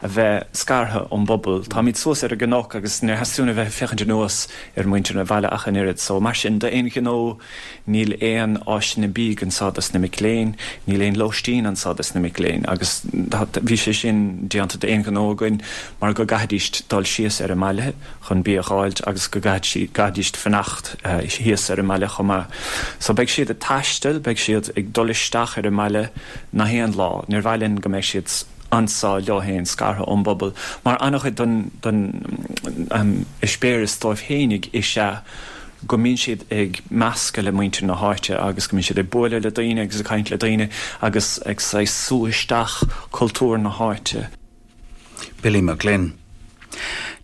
a bheith scartha ón bpobal. Táimid suas ar an gcnoc agus níor theastaigh uainn a bheith ag féachaint anuas ar mhuintir an bhaile ach an oiread. So, mar sin, d'aon ghnó, níl aon áiseanna bídh anseo dos na mic léinn, níl aon lóistín anseo dos na mic léinn agus bhí sé sin déanta d'aon ghnó againn mar go gcaithfidís dul síos ar an mbaile chun bia a dh'fháilt agus go gcaithfidís fanacht thíos ar an mbaile chomh maith. So beidh siad ag taisteal, beidh siad ag dul isteach ar an mbaile nach aon lá. Níor mhaith linn go mbeidh siad anso leo féin, scartha ón bpobal, mar an-chuid den den eispéireas dóibh féinig is ea go mbíonn siad ag meascadh le muintir na háite agus go mbíonn siad ag bualadh le daoine agus ag caint le daoine agus ag saghas sú isteach cultúr na háite. Billy McGlynn.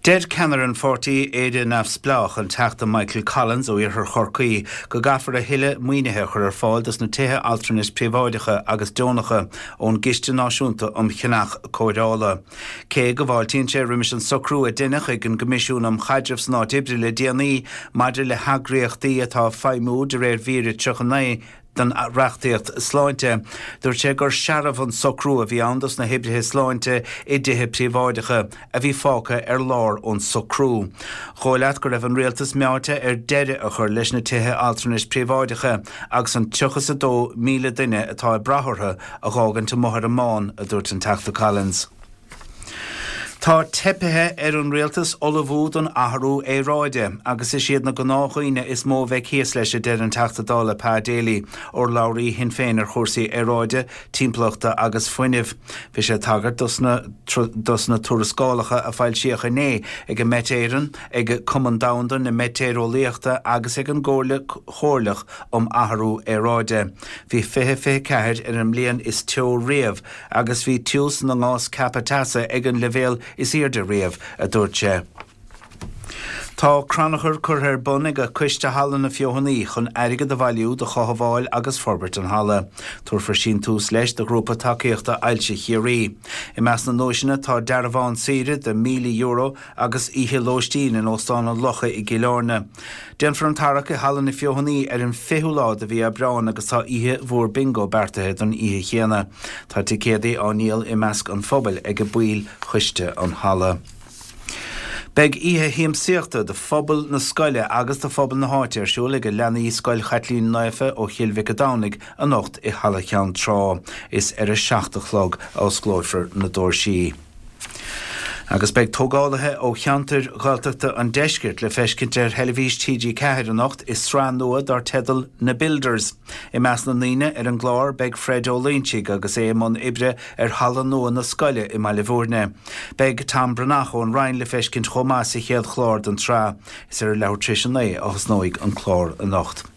Deir ceannaire an pháirtí Éire Neamhspleách, an Teachta Michael Collins ó iarthar Chorcaí, go gcaithfear a thuilleadh maoinithe a chur ar fáil dos na tithe altranais príobháideacha agus deonacha ón gCiste Náisiúnta um Cheannach Cóireála. Cé go bhfáiltíonn sé roimis an socrú a deineadh ag an gCoimisiún um Chaidreamh san Áit Oibre le déanaí maidir le heagraíochtaí atá ag feidhmiú de réir mhír a tríocha naoi den reachtaíocht sláinte. Dúirt sé gur searbh an socrú a bhí ann dos na hoibrithe sláinte i dtithe príobháideacha a bhí fágtha ar lár ón socrú. Dhóigh leat go raibh an rialtas meáite ar deireadh a chur leis na tithe altranais príobháideacha agus an tríocha is a dó míle duine atá ag brath orthu a dh'fhágaint amuigh ar an mbán, a dúirt an Teachta Collins. Tá teipithe ar an rialtas ullmhú don athrú aeráide agus is iad na gnáthdhaoine is mó a bheidh thíos leis, a deir an Teachta Dála Pa Daly, urlabhraí Shinn Féin ar chúrsaí aeráide, timpeallachta agus fuinnimh. Bhí sé ag tagairt dos na dos na tuarascálacha a foilsíodh inné ag an Met Éireann, ag Cumann Domhanda na Meitéareolaíochta agus ag an gComhairle Chomhairleach um Athrú Aeráide. Bhí fiche fiche ceathair ar an mbliain is teo riamh agus bhí tiús na ngás ceaptha teasa ag an leibhéal is airde riamh, a dúirt sé. Tá crannchur curtha ar bun ag Coiste Halla na Feothanaí chun airgead a bhailiú do chothabháil agus forbairt an halla. Tabharfar síntiús leis do Ghrúpa Tacaíochta Ailse Chiarraí. I measc na nduaiseanna tá dearbhán saoire de míle euro agus oíche lóistín in Óstán an Locha i gCill Airne. Déanfar an tarrac i Halla na Feothanaí ar an fichiú lá de mhí Aibreáin agus tá oíche mhór bingo beartaithe don oíche chéanna. Tá ticéadaí á ndíol i measc an phobail ag baill choiste an halla. Beidh oíche shiamsaíochta do phobal na scoile agus do phobal na háite ar siúl ag leanaí Scoil Chaitlín Naofa ó Chill Mhic a' Domhnaigh anocht i Halla Cheann Trá. Is ar a seacht a chlog a osclófar na doirsí. Agus beidh tógálaithe ó cheantair Ghaeltachta an deiscirt le feiscint ar theilifís T G ceathair anocht i sraith nua dar teideal Na Builders. I measc na ndaoine ar an gclár beidh Fred Ó Loinsigh agus é i mbun oibre ar halla nua na scoile i mBaile Bhúirne. Beidh Tom Breathnach ón Rinn le feiscint chomh maith sa chéad chlár den tsraith. Is ar a leathuair tar éis a naoi a thosnóidh an clár anocht.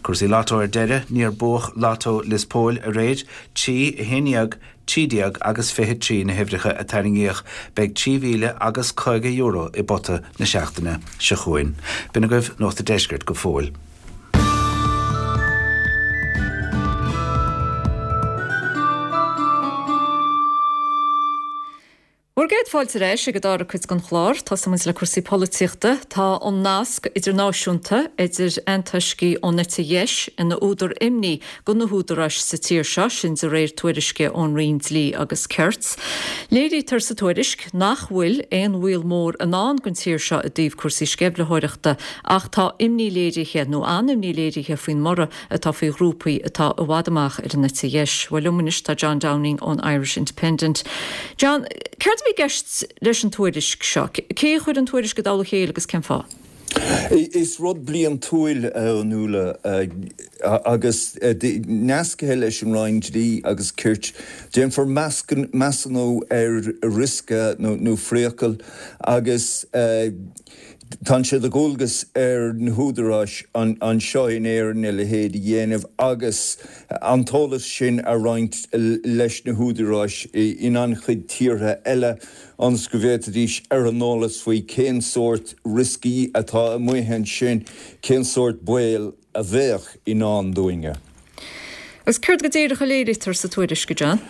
Cúrsaí Lotto ar deireadh, níor buadh Lotto Lios Póil aréir, trí, a haon déag, trí déag agus fiche trí na huimhreacha a tarraingíodh. Beidh trí mhíle agus caoga euro i bpota na seachtaine seo chugainn. B'in agaibh Nuacht an Deiscirt go fóill. Bhur gcéad fáilte ar ais ag an dara cuid den chlár. Tosaíonn muid le cúrsaí polaitíochta. Tá an nasc idirnáisiúnta idir antoiscigh ón eite dheis ina údar imní do na húdaráis sa tír seo, sin de réir tuairisce ón Roinn Dlí agus Cirt. Léirítear sa tuairisc nach bhfuil aon bhaol mór i ndán don tír seo i dtaobh cúrsaí sceimhlitheoireachta ach tá imní léirithe, nó an-imní léirithe faoin mborradh atá faoi ghrúpaí atá i bhfad amach ar an eite dheis. Bhuel liom anois tá John Downing ón Irish Independent. John, céard a bhí i gceist leis an tuairisc seo? Cé a chuir an tuairisc i dtoll a chéile agus cén fáth? Is rud bliantúil a Fhionnuala agus nasctha leis an Roinn Dlí agus Cirt. Déanfar measúnú ar riosca nó phriacal agus tá sé de dhualgas ar na húdaráis anseo in Éirinn a leithéid a dhéanamh agus an t-eolas sin a roinnt leis na húdaráis in an-chuid tíortha eile ionas go bhféadfaidís ar an eolas faoi cén sórt rioscaí atá amuigh ansin, cén sórt baol a bheadh i ndán dúinne. Agus céard go díreach a léirítear sa tuairisc, a John?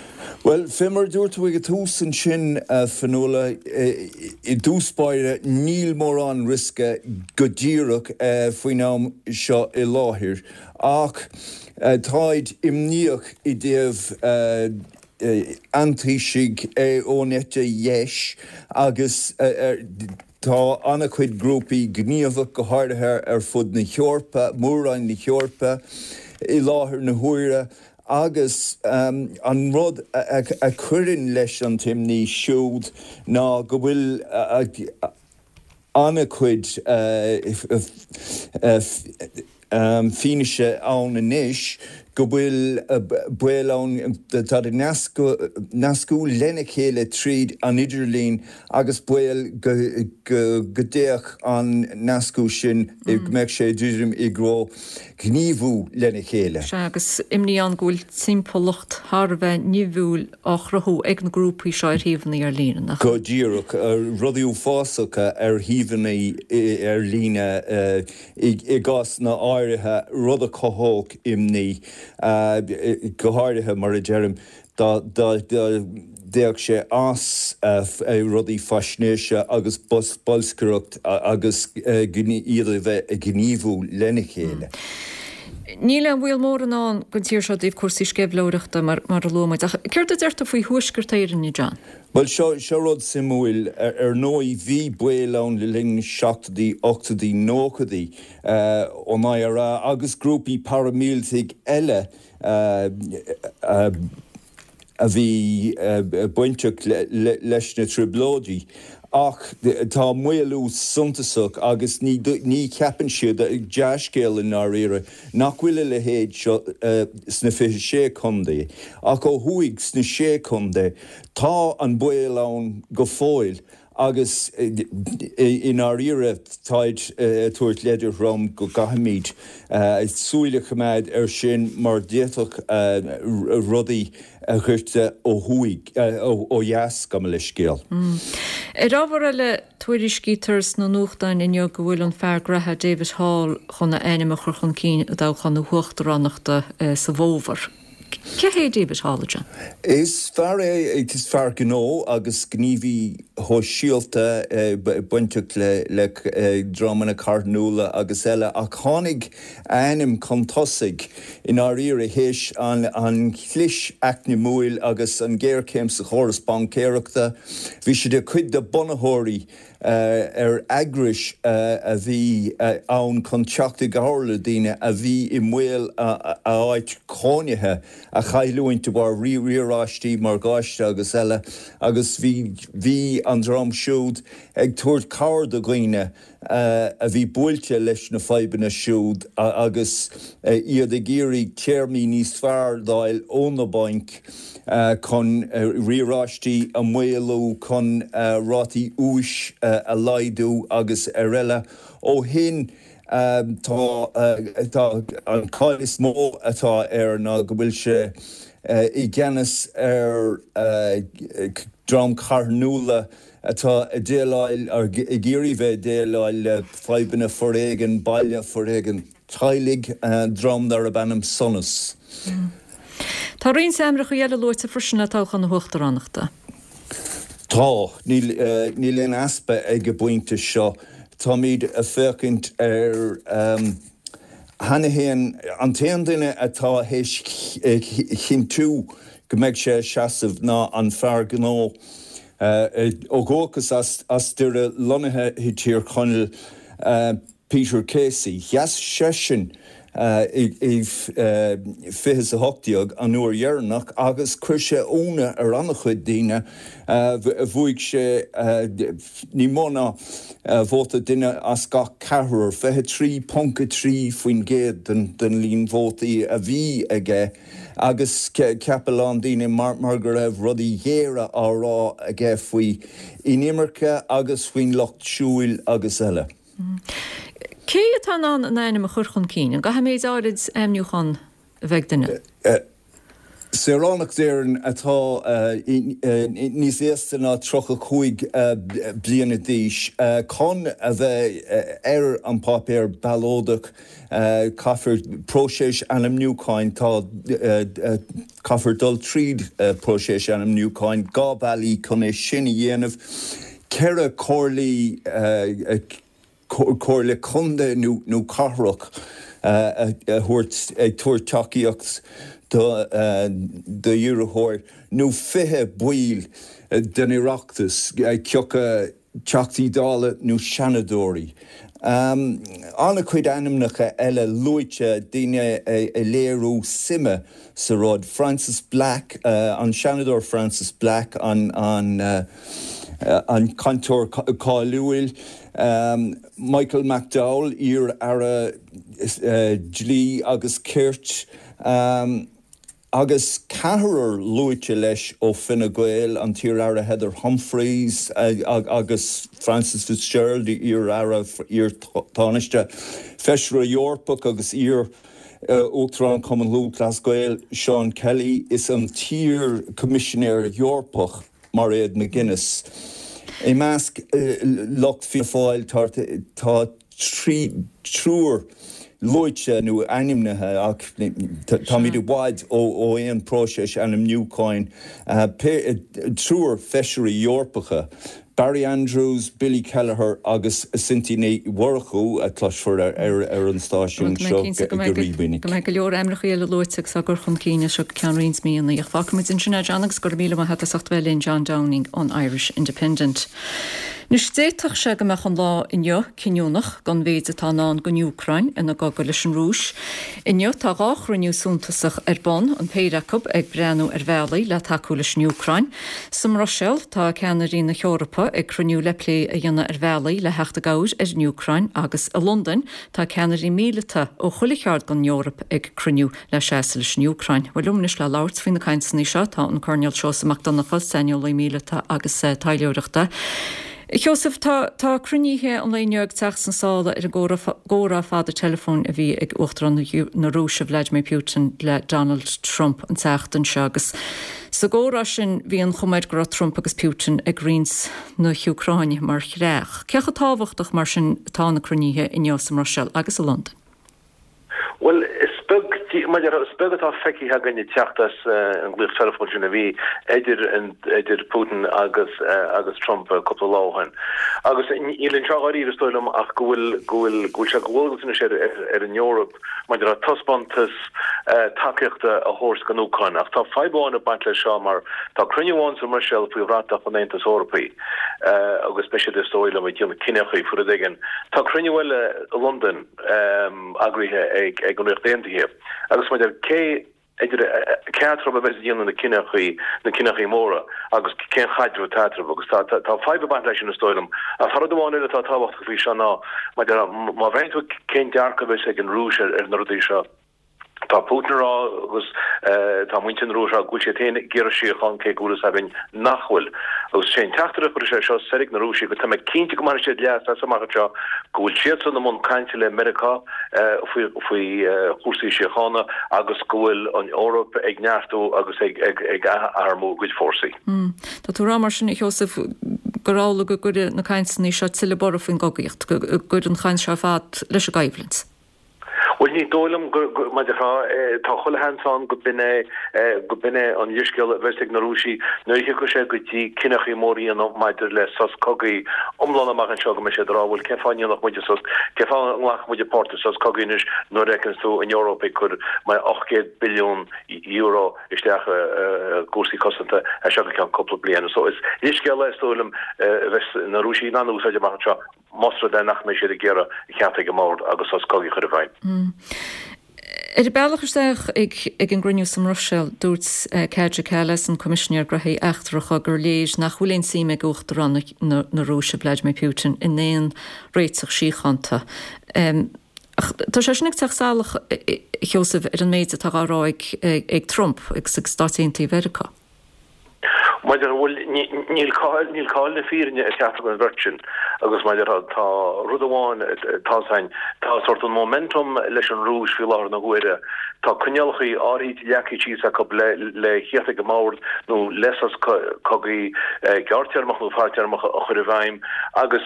Bhuel, fé mar a dúirt tú ag an tús ansin, a Fionnuala, i dtús báire níl mórán riosca go díreach faoin am seo i láthair, ach táid imníoch i dtaobh antoiscigh ón eite dheis agus tá an-chuid grúpaí gníomhach, go háirithe ar fud na hEorpa, Mór-Roinn na hEorpa, i láthair na huaire agus an rud a chuireann leis an t-imní siúd ná go bhfuil an-chuid fianaise ann anois go bhfuil baol ann, táid ag nascadh lena chéile tríd an idirlíon agus baol go dtéadh an nascadh sin, go mbeadh sé druidim i dtreo gníomhú lena chéile. Sea, agus imní ann go bhfuil timpeallacht thar a bheith nimhiúil á chruthú ag na grúpaí seo ar shuíomhanna ar líne, nach ea? Go díreach, rudaí uafásacha ar shuíomhanna ar líne i gcásanna áirithe, rud a chothódh imní. Go háirithe, mar a deirim, dá dtéadh sé as rudaí faisnéise agus bolscaireacht agus iad a bheith ag gníomhú lena chéile. Níl aon bhaol mór i ndán don tír seo i dtaobh cúrsaí sceimhlitheoireachta, mar a luaigh muid, ach céard a deir tú faoi Thuaisceart Éireann, a John? Bhuel, seo, seo rud suimiúil. Ar ndóigh, bhí baol ann le linn na seachtóidí, ochtóidí, nóchaidí ón I R A agus grúpaí paraimíleataigh eile a a bhí bainteach leis na Trioblóidí ach tá maolú suntasach agus ní ní cheapann siad, dea-scéal i ndáiríre, nach bhfuil a leithéid seo sna fiche sé contae ach ó thuaidh sna sé chontae tá an baol ann go fóill agus i ndáiríre táid ag tabhairt leide throm go gcaithfimid súil a choimeád air sin mar d'fhéadfadh rudaí a dhoirteadh ó thuaidh, ó dheas, gabh mo leithscéal. Ar ábhar eile, tuairiscítear sna nuachtáin inniu go bhfuil an fear graithe David Hall chun a ainm a chur chun cinn i dtoghchán na huachtaránachta sa bhfómhar. Cé hé David Hall, a John? Is fear é, is fear gnó agus gníomhaí shóisialta bainteach le dreamanna carthanúla agus eile ach tháinig a ainm chun tosaigh i ndáiríre théis an chlis eacnamúil agus an ghéarchéim sa chóras baincéireachta. Bhí sé de chuid de bunaitheoirí ar eagrais a bhí ann chun teacht i gcabhair le daoine a bhí i mbaol a áit chónaithe a chailliúint de bharr riaráistí morgáiste agus eile agus bhí bhí an dream siúd ag tabhairt cabhair do dhaoine a bhí buailte leis na fadhbanna siúd agus iad ag iarraidh téarmaí níos fearr d'fháil ó na bainc chun riaráistí a mhaolú, chun rátaí úis a laghdú agus ar eile. Ó shin, Tá tá an cáil is mó atá air ná go bhfuil sé i gceannas ar dream carthanúla atá ag déileáil ag iarraidh bheith ag déileáil le fadhbanna foréigean baile, foréigean teaghlaigh, dream darb ainm Sonas. Tá roinnt ainmneacha eile luaite freisin le toghchán na huachtaránachta. Tá, níl níl aon easpa ag an bpointe seo. Táimid ag féachaint ar cheana féin, an t-aon duine atá théis chinntiú go mbeidh sé ag seasamh ná an fear gnó ó dhúchas as Doire lonnaithe i dTír Chonaill, Peter Casey. Sheas seisean i fiche is a hocht déag an uair dheireanach agus chuir sé ionadh ar an-chuid daoine. Bhuaigh sé ní mó ná vóta duine as gach ceathrar, fiche trí ponc a trí faoin gcéad den líon vótaí a bhí aige agus cheap a lán daoine mar go raibh rudaí géara á rá aige faoi inimirce agus faoin lucht siúil agus eile. Cé atá in ann an ainm a chur chun cinn? An gcaithfidh méid áirid ainmniúchán a bheith ag duine? Saoránach d'Éirinn atá níos aosta ná tríocha cúig bliana d'aois chun a bheith ar an bpáipéar ballóideach caithfear próiseas ainmniúcháin tá caithfear dul tríd próiseas ainmniúcháin dhá bealaí chun é sin a dhéanamh ceithre comhairlí comhairle contae nó cathrach a thabhairt ag tabhairt tacaíocht d'iarrthóir nó fiche baill den Oireachtas, cé acu Teachtaí Dála nó Seanadóirí. An-chuid ainmneacha eile luaite, daoine ag léiriú suime sa rud. Frances Black, an Seanadóir Frances Black, an an cainteoir cáiliúil, Michael McDowell, iar-aire dlí agus cirt, agus ceathrar luaite leis ó Fine Gael, an t-iar-aire Heather Humphreys agus Frances Fitzgerald, iar-aire, iar-Tánaiste, Feisire Eorpach agus iar Uachtarán Chumann Lúthchleas Gael, Seán Kelly, is an t-iar-Choimisinéir Eorpach. Mairéad McGuinness. I measc lucht Fianna Fáil tá triúr luaite nó ainmnithe ach táimid i bhfad ó aon próiseas ainmniúcháin, triúr feisirí Eorpacha, Barry Andrews, Billy Kelleher agus Cynthia Ní Mhurchú, a chloisfear ar an stáisiún seo go rímhinic. Go mbeidh go leor ainmneacha eile luaite agus á gcur chun cinn as seo go ceann roinnt míonna. Ach fágfaimid ansin é, John, agus go raibh míle maith agat as ucht bheith linn, John Downing ón Irish Independent. Anois d'fhéadfadh sé go mbeadh an lá inniu cinniúnach don mhéid atá i ndán don Úcráin ina gcogadh leis an Rúis. Inniu tá dhá chruinniú suntasach ar bun, an péire acu ag breathnú ar bhealaí le tacú leis an Úcráin. Sa mBruiséil tá ceannairí na hEorpa ag cruinniú le plé a dhéanamh ar bhealaí le theacht i gcabhair ar an Úcráin agus i Londain tá ceannairí míleata ó chuile cheard den Eoraip ag cruinniú le seasamh leis an Úcráin. Bhuel liom anois le labhairt faoi na cainteanna seo tá an Coirnéal Seosamh Mac Donncha, saineolaí míleata agus taidhleoireachta. A Sheosaimh, tá tá cruinnithe an lae inniu ag teacht sna sála ar an gcomhrá fada teileafóin a bhí ag Uachtarán na Rúise Vladimir Putin le Donald Trump an tseachtain seo agus sa gcomhrá sin bhí an chuma air go raibh Trump agus Putin ag roinnt na hÚcráine mar chreach. Cé chomh tábhachtach mar sin atá na cruinnithe inniu sa mBruiséil agus i Londain? Bhuel, is beag, mar a déarfá, is beag atá feicthe againn ag teacht as an nglaoch teileafóin sin a bhí idir idir Putin agus agus Trump cúpla lá ó shin. Agus níl anseo dháiríre, is dóigh liom, ach go bhfuil go bhfuil go bhfuil sé de dhualgas anois ar ar an Eoraip maidir le taispeántas tacaíochta a thabhairt don Úcráin. Ach tá fadhb amháin ag baint leis seo mar tá cruinniú amháin sa mBruiséil faoi bhratach an Aontais Eorpaigh agus beidh siad, is dóigh liom, ag déanamh cinneadh faoi rud éigin. Tá cruinniú eile i Londain. eagraithe ag an Ríocht Aontaithe agus maidir cé idir cé eatarthu a bheas ag déanamh na cinneachaí na cinneachaí móra agus cén chaidreamh atá eatarthu agus tá tá fadhb ag baint leis sin is dóigh liom. Ach tá rud amháin eile atá tábhachtach faoi seo ná maidir má bhreathnaíonn tú cén dearcadh a bheas ag an Rúis ar na rudaí seo, Tá Putin ag rá agus tá muintir na Rúise ag rá go bhfuil siad féin ag iarraidh síocháin cé go bhfuil fhios againn nach bhfuil. Agus sé an teachtaireacht a chuirfidh sé seo soir ag na Rúisigh go tá mé cinnte go mbainfidh siad leas as amach anseo go bhfuil siadsan i mbun cainte le Meiriceá faoi faoi chúrsaí síochána agus go bhfuil an Eoraip ag neartú agus ag ag atharmú a gcuid fórsaí. Tá tú ag rá mar sin, a Sheosaimh, gur amhlaidh go gcuirfidh na cainteanna seo tuilleadh borradh faoin gcogaíocht, go gcuirfidh an chaint seo ar fad leis an gcoimhlint. Bhuel, ní dóigh liom go, mar a déarfá, tá chuile sheans ann go b'in é, go b'in é an leithscéal a bheas ag na Rúisigh nuair a thiocfaidh sé go dtí cinneachaí móra a dhéanamh maidir le sos cogaidh iomlán amach anseo, go mbeidh siad ag rá, bhuel, cén fáth a ndéanfadh muide sos, cén fáth a nglacfadh muide páirt i sos cogaidh anois nuair a fheiceanns tú an Eoraip ag cur mar ocht gcéad billiún euro isteach i gcúrsaí cosanta as seo go ceann cúpla bliain. So is leithscéal é, is dóigh liom, a bheas na Rúisigh in ann a úsáid amach anseo. Más rud é nach mbeidh siad ag iarraidh a theacht ag an mbord agus sos cogaidh a chur i bhfeidhm. Ar a bealach isteach ag an gcruinniú sa mBruiséil, dúirt Kaja Kallas, an Coimisinéir Gnóthaí Eachtracha, gur léir nach bhfuil aon suim ag Uachtarán na Rúise, Vladimir Putin, in aon réiteach síochánta. Ach tá sé sin ag teacht salach, a Sheosaimh, ar an méid atá á rá ag Trump agus ag Stáit Aontaithe Mheiriceá. Maidir, bhuel, níl cáil, níl cáil na fírinne ag ceachtar den bheirt sin agus mar a déarfá, tá rud amháin atá ann, tá sórt an momentum leis an Rúis faoi láthair na huaire, tá coinníollacha áirithe leagtha síos acu le le theacht ag an mbord nó le sos cogaidh gearrtéarmach nó fadtéarmach a chur i bhfeidhm agus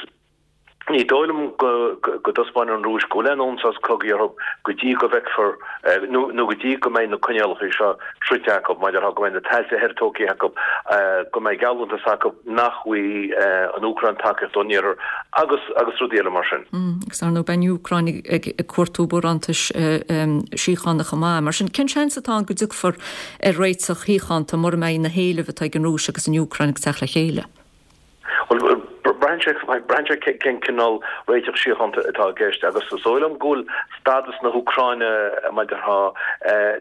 Ní dóigh liom go dtaispeánfaidh an Rúis go bhfuil aon fhonn sos cogaidh orthu go dtí go bhfeicfear nó go dtí go mbeidh na coinníollacha seo sroichte acu, mar a déarfá, go mbeidh na tailte thoir tógtha acu, go mbeidh geallúntas acu nach bhfaighidh an Úcráin tacaíocht ón Iarthar agus agus rudaí eile mar sin. Agus ar ndóigh beidh an Úcráin ag cuartú barántais síochána chomh maith. Mar sin, cén seans atá ann go dtiocfar ar réiteach shíochánta mura mbeidh na héilimh atá ag an Rúis agus an Úcráin ag teacht le chéile? Bhuel, braitheann sé, braitheann sé cén cineál réiteach síochánta atá i gceist agus is dóigh liom go bhfuil stádas na hÚcráine, mar a déarfá,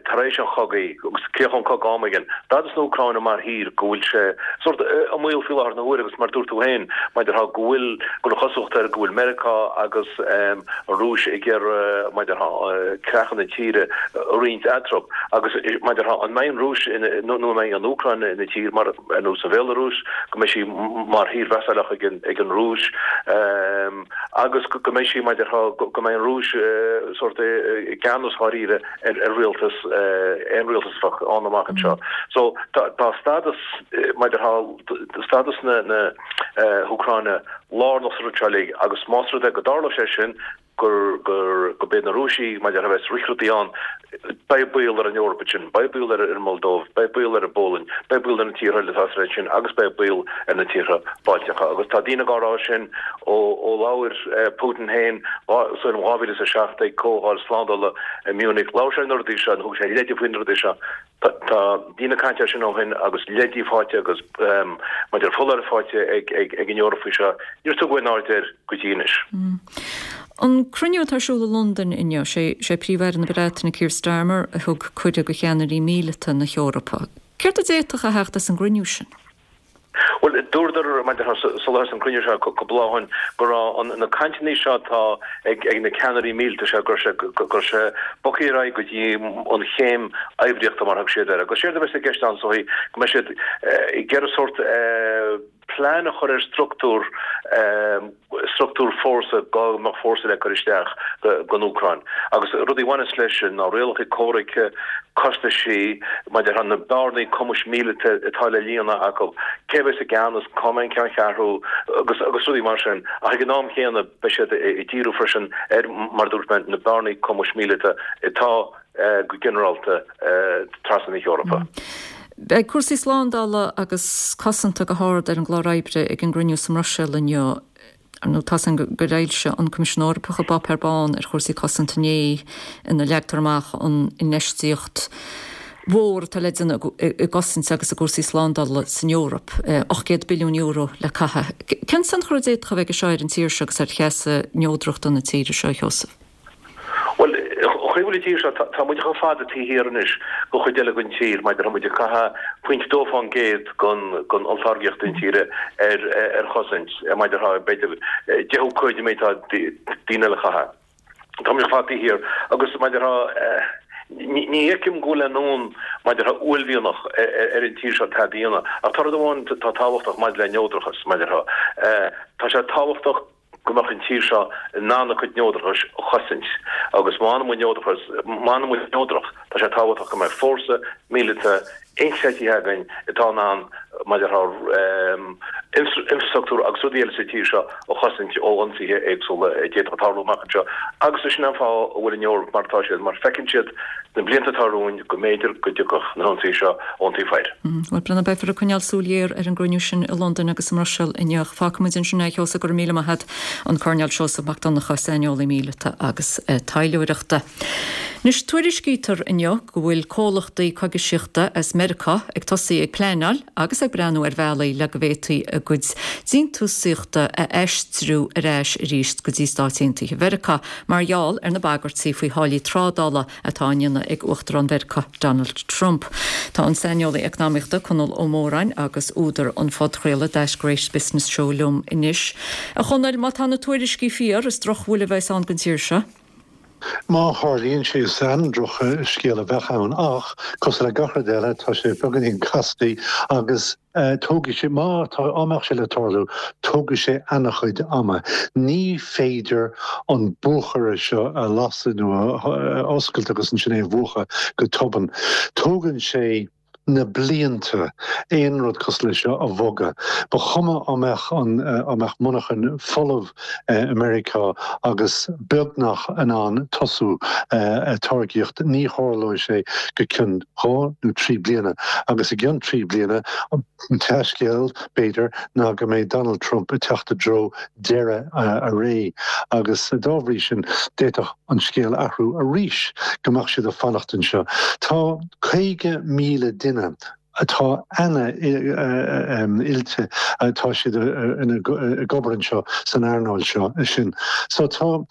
tar éis an chogaidh, agus críochnóidh an cogadh am éigin, stádas na hÚcráine mar thír, go bhfuil sé sórt i mbaol faoi láthair na huaire agus mar a dúirt tú féin, mar a déarfá, go bhfuil, go bhfuil an chosúlacht air go bhfuil Meiriceá agus an Rúis ag iarraidh, mar a déarfá, creacha na tíre a roinnt eatarthu agus, mar a déarfá, an mbeidh an Rúis nó an mbeidh an Úcráin ina tír mar. ar nós an Bhéalarúis, go mbeidh sí mar thír vasáilleach ag an Rúis agus go mbeidh sí, mar a déarfá, go mbeidh an Rúis sórt i gceannas dháiríre ar rialtas, aon rialtas a bheadh ann amach anseo. So tá stádas, mar a déarfá, stádas na hÚcráine lárnach sa rud seo uilig agus más rud é go dtarlódh sé sin, gur gur go b'iad na Rúisigh mar a déarfá a bheas ag rith rudaí ann. Beidh baol ar an Eoraip ansin, beidh baol ar an Moldóiv, beidh baol ar an bPolainn, beidh baol ar na tíortha eile atá sa réimse sin agus beidh baol ar na tíortha Bailteacha. Agus tá daoine á rá sin ó ó labhair Putin féin sa bhliain dhá mhíle is a seacht ag comhdháil slándála i Munich. Labhair sé ar na rudaí seo, nó thug sé leide faoi na rudaí seo. Tá daoine ag caint air sin ó shin agus leidí faighte agus mar a déarfá foláirimh faighte ag an Eoraip faoi seo. Níor tugadh aon aird air go dtí anois. An cruinniú atá ar siúl i Londain inniu, sé Príomh-Aire na Breataine Keir Starmer a thug cuireadh do cheannairí míleata na hEorpa. Céard a d'fhéadfadh a theacht as an gcruinniú sin? Bhuel, dúradar, mar a déarfá, sular thosaigh an cruinniú seo cúpla lá ó shin, go raibh na cainteanna seo atá ag na ceannairí míleata seo, go raibh sé, go raibh sé bogtha ar aghaidh go dtí an chéim oibríochta, mar a thug siad air. Agus séard a bheas i gceist ann, is dóichí, go mbeidh siad ag iarraidh sórt plean a chur ar struchtúr, struchtúr fórsa, dá mbeadh fórsa le cur isteach don Úcráin. Agus rudaí a bhaineas leis sin ná rialacha comhraicthe, costaisí, mar a déarfá na bearnaí cumais míleata atá le líonadh acu, cé a bheas i gceannas, cá mbeidh an ceanncheathrú agus agus rudaí mar sin. Ach ag an am chéanna beidh siad ag díriú freisin ar, mar a dúirt mé, na bearnaí cumais míleata atá go ginearálta trasna na hEorpa. Beidh cúrsaí slándála agus cosanta go hard ar an gclár oibre ag an gcruinniú sa mBruiséil inniu. Ar ndóigh, tá's againn gur fhoilsigh an Coimisiún Eorpach a bpáipéar bán ar chúrsaí cosanta inné ina leagtar amach an infheistíocht mhór atá le déanamh i gcosaint agus i gcúrsaí slándála san Eoraip, ocht gcéad billiún euro le caitheamh. Cén tionchar a d'fhéadfadh a bheith aige seo ar an tír seo agus ar sheasamh neodrachta na tíre seo, a Sheosaimh? Bhuel, an chaoi a bhfuil an tír seo, tá muid chomh fada taobh thiar anois den chuid eile den tír, mar a déarfá, tá muid ag caitheamh pointe dó fán gcéad den olltáirgeacht intíre ar chosaint, mar a déarfá, b'fhéidir deichiú cuid den méid atá daoine eile a chaitheamh. Tá muid chomh fada taobh thiar agus mar a déarfá, ní Ní fheicim go bhfuil aon fhonn maidir le uaillmhianach ar an tír seo tada a dhéanamh. Ach tá rud amháin atá tábhachtach maidir le neodrachas, maidir le, tá sé tábhachtach go mbeadh an tír seo in ann a cuid neodrachais a chosaint. Agus má fhanann muid neodrachas, má fhanann muid neodrach, tá sé tábhachtach go mbeidh fórsa míleata inchreidte againn atá in ann maidir le infrastruchtúr agus rudaí eile sa tír seo a chosaint ó ionsaithe éagsúla a d'fhéadfadh tarlú amach anseo agus is sin an fáth a bhfuil an Eoraip mar atá siad mar feiceann siad sna blianta atá romhainn go mb'fhéidir go dtiocfadh na hionsaithe seo ón taobh thoir. Bhuel, Breandán, beifear ag coinneáil súil ghéar ar an gcruinniú sin i Londain agus i mBruiséil inniu. Fágfaimid ansin é, a Sheosaimh, go raibh míle maith agat, an Coirnéal Seosamh Mac Donncha, saineolaí míleata agus taidhleoireachta. Anois, tuairiscítear inniu go bhfuil comhlachtaí coigisíochta as Meiriceá ag tosaí ag pleanáil agus ag breathnú ar bhealaí le go bhféadfaí a gcuid déantúsaíochta a aistriú ar ais arís go dtí Stáit Aontaithe Mheiriceá mar gheall ar na bagairtí faoi tháillí trádála atá á ndéanamh ag Uachtarán Mheiriceá Donald Trump. Tá an saineolaí eacnamaíochta Conall Ó Móráin agus údar an phodchraoladh That Great Business Show liom anois. A Chonaill, má tá na tuairiscí fíor, is drochbhuille a bheas ann don tír seo. Má tharlaíonn sé is an-drochscéal a bheadh ann ach, cosúil le gach rud eile, tá sé beagáinín casta agus tógfaidh sé, má tá, á mbeadh sé le tarlú, tógfaidh sé an-chuid ama. Ní féidir an buachaire seo a lasadh nó a oscailt agus ansin é a mhúchadh go tobann. Tógann sé. na blianta aon rud cosúil leis seo a bhogadh. Ba chuma á mbeadh an á mbeadh monarchain folamh i Meiriceá agus beagnach in ann tosú ag táirgíocht, ní tharlóidh sé go cionn dhá nó trí bliana. Agus i gcionn trí bliana, an dea-scéal, b'fhéidir, ná go mbeidh Donald Trump ag teacht i dtreo deireadh a ré agus dá bhrí sin d'fhéadfadh an scéal athrú arís, go mbeadh siad ag fanacht anseo. Tá caoga míle duine atá an-oilte, tá siad ag obair anseo san earnáil seo sin. So tá,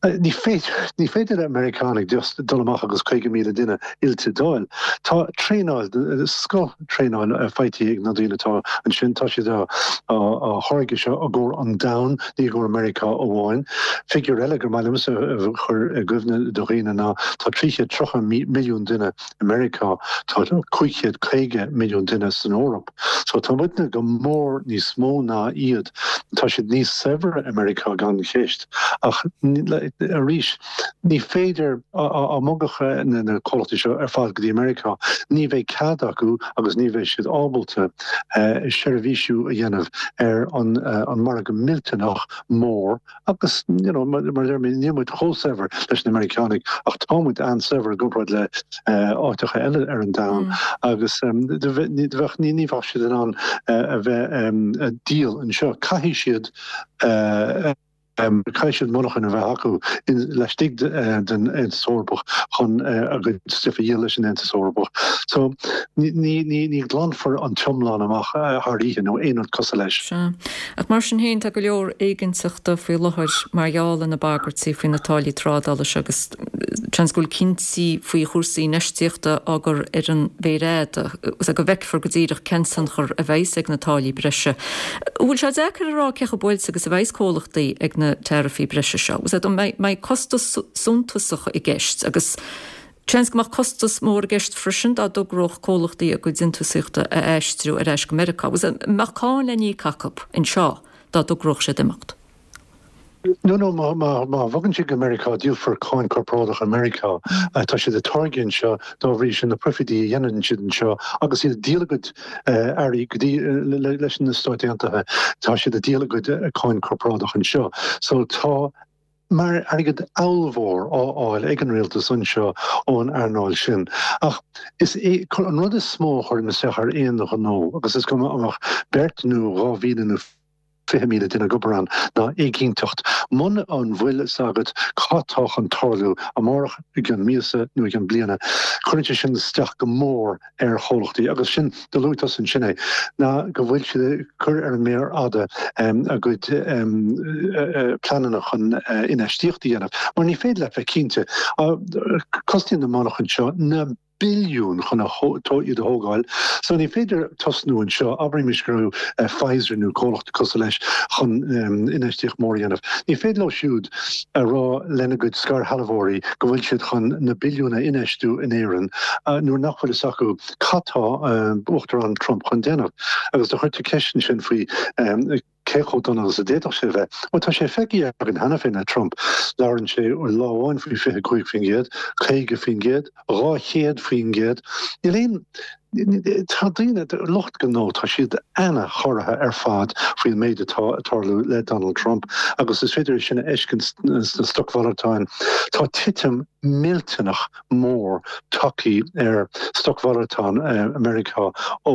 ní féidir, ní féidir le Meiriceánaigh just dul amach agus caoga míle duine oilte d'fháil. Tá traenáil, scoth traenáil faighte ag na daoine atá ansin, tá siad á tháirgeadh seo i gcomhair an domhain, ní i gcomhair Meiriceá amháin. Figiúr eile gur maith liomsa a chur i gcuimhne do dhaoine ná tá trí chéad tríocha milliún duine i Meiriceá, tá cúig chéad caoga milliún duine san Eoraip. So tá muidne go mór níos mó ná iad. Tá siad níos saibhre i Meiriceá gan cheist ach arís ní féidir á mbogfadh na comhlachtaí seo ar fad go dtí Meiriceá, ní bheidh cead acu agus ní bheidh siad ábalta seirbhísiú a dhéanamh ar an margadh millteanach mór agus you know mar a deir mé níl muid chomh saibhir leis na Meiriceánaigh ach tá muid an-saibhir i gcomparáid le áiteacha eile ar an domhan agus bheadh ní ní bheadh siad in ann a bheith ag díol anseo. Caithfidh siad Caithfidh siad monarchain a bheith acu laistigh den Aontas Eorpach chun a gcuid stuif a dhíol leis an Aontas Eorpach. So ní ghlanfar an t-iomlán amach thar oíche nó aon rud cosúil leis. Sea. Ach mar sin féin, tá go leor éiginnteachta faoi láthair mar gheall ar na bagairtí faoi na táillí trádála seo agus seans go bhfuil cinntí faoi chúrsaí infheistíochta á gcur ar an mhéar fhada agus go bhfeicfear go díreach cén tionchar a bheas ag na táillí breise. An bhfuil sé deacair a rá cé chomh buailte agus a bheas comhlachtaí ag na taraifí breise seo? An mbeidh costas suntasach i gceist agus seans go mbeadh costas mór i gceist freisin dá dtogródh comhlachtaí a gcuid déantúsaíochta a aistriú ar ais go Meiriceá. An mbeadh cáin le n-íoc acu anseo dá dtogródh siad imeacht? No, no, má, má, má bhogann siad go Meiriceá, díolfar cáin corparáideach i Meiriceá. Tá siad ag táirgeadh anseo, dá bhrí sin na proifidí a dhéanann siad anseo agus iad ag díol a gcuid earraí go dtí, leis na Stáit Aontaithe, tá siad ag díol a gcuid cáin corparáideach anseo. So tá mar airgead ollmhór á fháil ag an rialtas anseo ón earnáil sin. Ach is é an rud is mó a chuireann isteach ar aon ghnó, agus is cuma an mbeadh beirt nó dhá mhíle nó fiche míle duine ag obair ann, ná éiginnteacht. Muna an bhfuil fhios agat cad tá chun tarlú amárach, i gcionn míosa nó i gcionn bliana, cuireann sé sin isteach go mór ar chomhlachtaí. Agus sin, do luaigh tusa ansin é, ná go bhfuil siad ag cur ar an méar fhada a gcuid pleananna chun infheistíocht a dhéanamh. Mar ní féidir leat bheith cinnte. Cosnaíonn na monarchain seo na. billiún chun iad a thógáil. So ní féidir tosnú anseo, abraimis go raibh Pfizer nó comhlacht cosúil leis chun infheistíocht mór a dhéanamh. Ní féidir leo siúd a rá lena gcuid scairshealbhóirí go bhfuil siad chun na billiúin a infheistiú in Éirinn nuair nach bhfuil fhios acu cad tá Uachtarán Trump chun déanamh. Agus do chuir tú ceist ansin faoi cé chomh dona agus a d'fhéadfadh sé a bheith. Bhuel, tá sé feicthe againn cheana féin le Trump. Labhrann sé lá amháin faoi fiche cúig faoin gcéad, caoga faoin gcéad, dhá chéad faoin gcéad. Níl aon, tá daoine, lucht gnó, tá siad ana-chorraithe ar fad faoin méid atá ag tarlú le Donald Trump agus is féidir é sin a fheiscint sna stocmhalartáin. Tá titim millteanach mór tagtha ar stocmhalartáin Meiriceá ó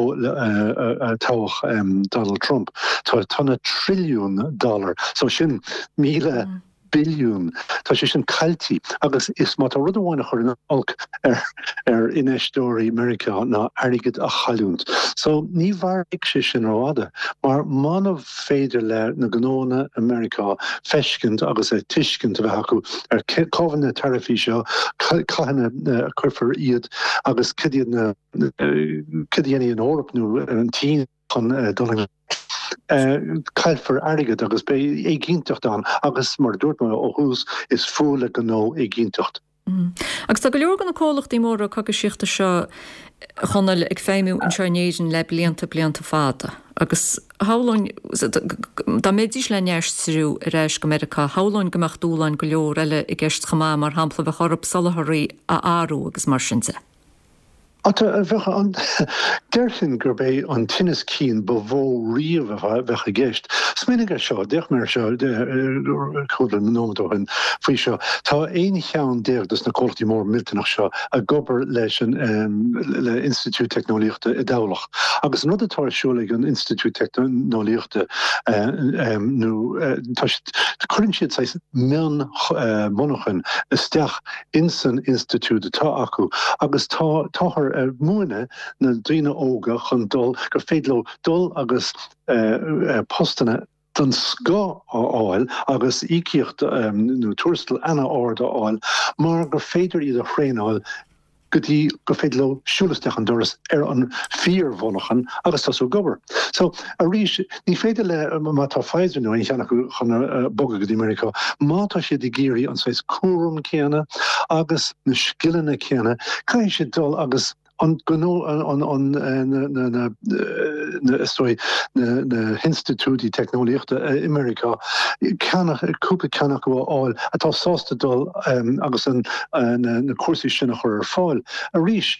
toghadh Donald Trump. Tá na trilliún dollar, so sin míle billiún, tá sé sin caillte agus is má tá rud amháin a chuireann olc ar ar infheisteoirí Meiriceá ná airgead a chailliúint. So ní mhairfidh sé sin rófhada mar muna féidir le na gnónna i Meiriceá feiscint agus tuiscint a bheith acu ar cá bhfuil na taraifí seo, cathain a cuirfear iad agus cad iad na cad a dhéanfaidh an Eoraip nó an tSín chun dul i caillfear airgead agus beidh éiginnteacht ann agus mar a dúirt mé ó thús is fuath le gnó éiginnteacht. Agus tá go leor de na comhlachtaí móra cogaisíochta seo, a Chonaill, ag feidhmiú anseo in Éirinn le blianta, blianta fada. Agus shamhlóinn, dá mbeidís le n-aistriú ar ais go Meiriceá, shamhlóinn go mbeadh dúshláin go leor eile i gceist chomh maith, mar shampla bheadh orthu soláthraí a athrú agus mar sin de. Bheadh an, déarfainn gurb é an tinneas cinn ba mhó riamh a bheadh i gceist. Smaoinigh ar seo, d'fhéach mé ar seo cúpla nóiméad ó shin faoi seo. Tá aon cheann déag de na comhlachtaí mór millteanach seo ag obair leis an le Institiúid Teicneolaíochta i dTamhlacht. Agus an rud atá ar siúl ag an Institiúid Teicneolaíochta nó tá siad, cuireann siad saghas mion monarchan isteach insan institiúid atá acu agus tá táthar ag múineadh na daoine óga chun dul, gur féidir leo dul agus postanna den scoth a fháil agus íocaíocht nó tuarastal ana-ard a fháil mar gur féidir iad a thraenáil go dtí gur féidir leo siúl isteach an doras ar an fíor-mhonarchan agus tosú ag obair. So, arís, ní féidir le, má tá Pfizer nó aon cheann acu chun bogadh go dtí Meiriceá, má tá siad ag iarraidh an saghas cúram céanna agus na scileanna céanna, caithfidh siad dul agus an gnó, an, an, na, na, na, is dóigh, na, na hinstitiúidí teicneolaíochta i Meiriceá, ceann, cúpla ceann acu a fháil atá sásta dul agus an, na, na cúrsaí sin a chur ar fáil. Arís,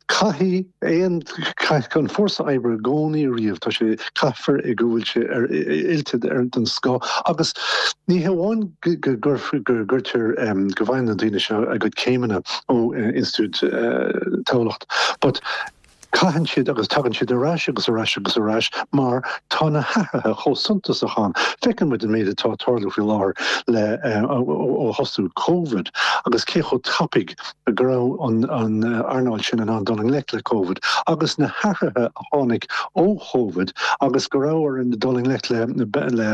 caithfidh aon, caithfidh an fórsa oibre i gcónaí riamh, tá sé, caithfear go bhfuil sé ar, oilte ar den scoth agus ní hamháin go, go, go gcuirtear, go bhfaigheann na daoine seo a gcuid céimeanna ó Institiúid Tamhlacht but caitheann siad agus tagann siad ar ais agus ar ais agus ar ais mar tá na hathruithe chomh suntasach ann. Feiceann muid an méid atá ag tarlú faoi láthair le ó thosú Covid agus cé chomh tapaidh go raibh an an earnáil sin in ann dul i ngleic le Covid agus na hathruithe a tháinig ó Covid agus go raibh orainn dul i ngleic le le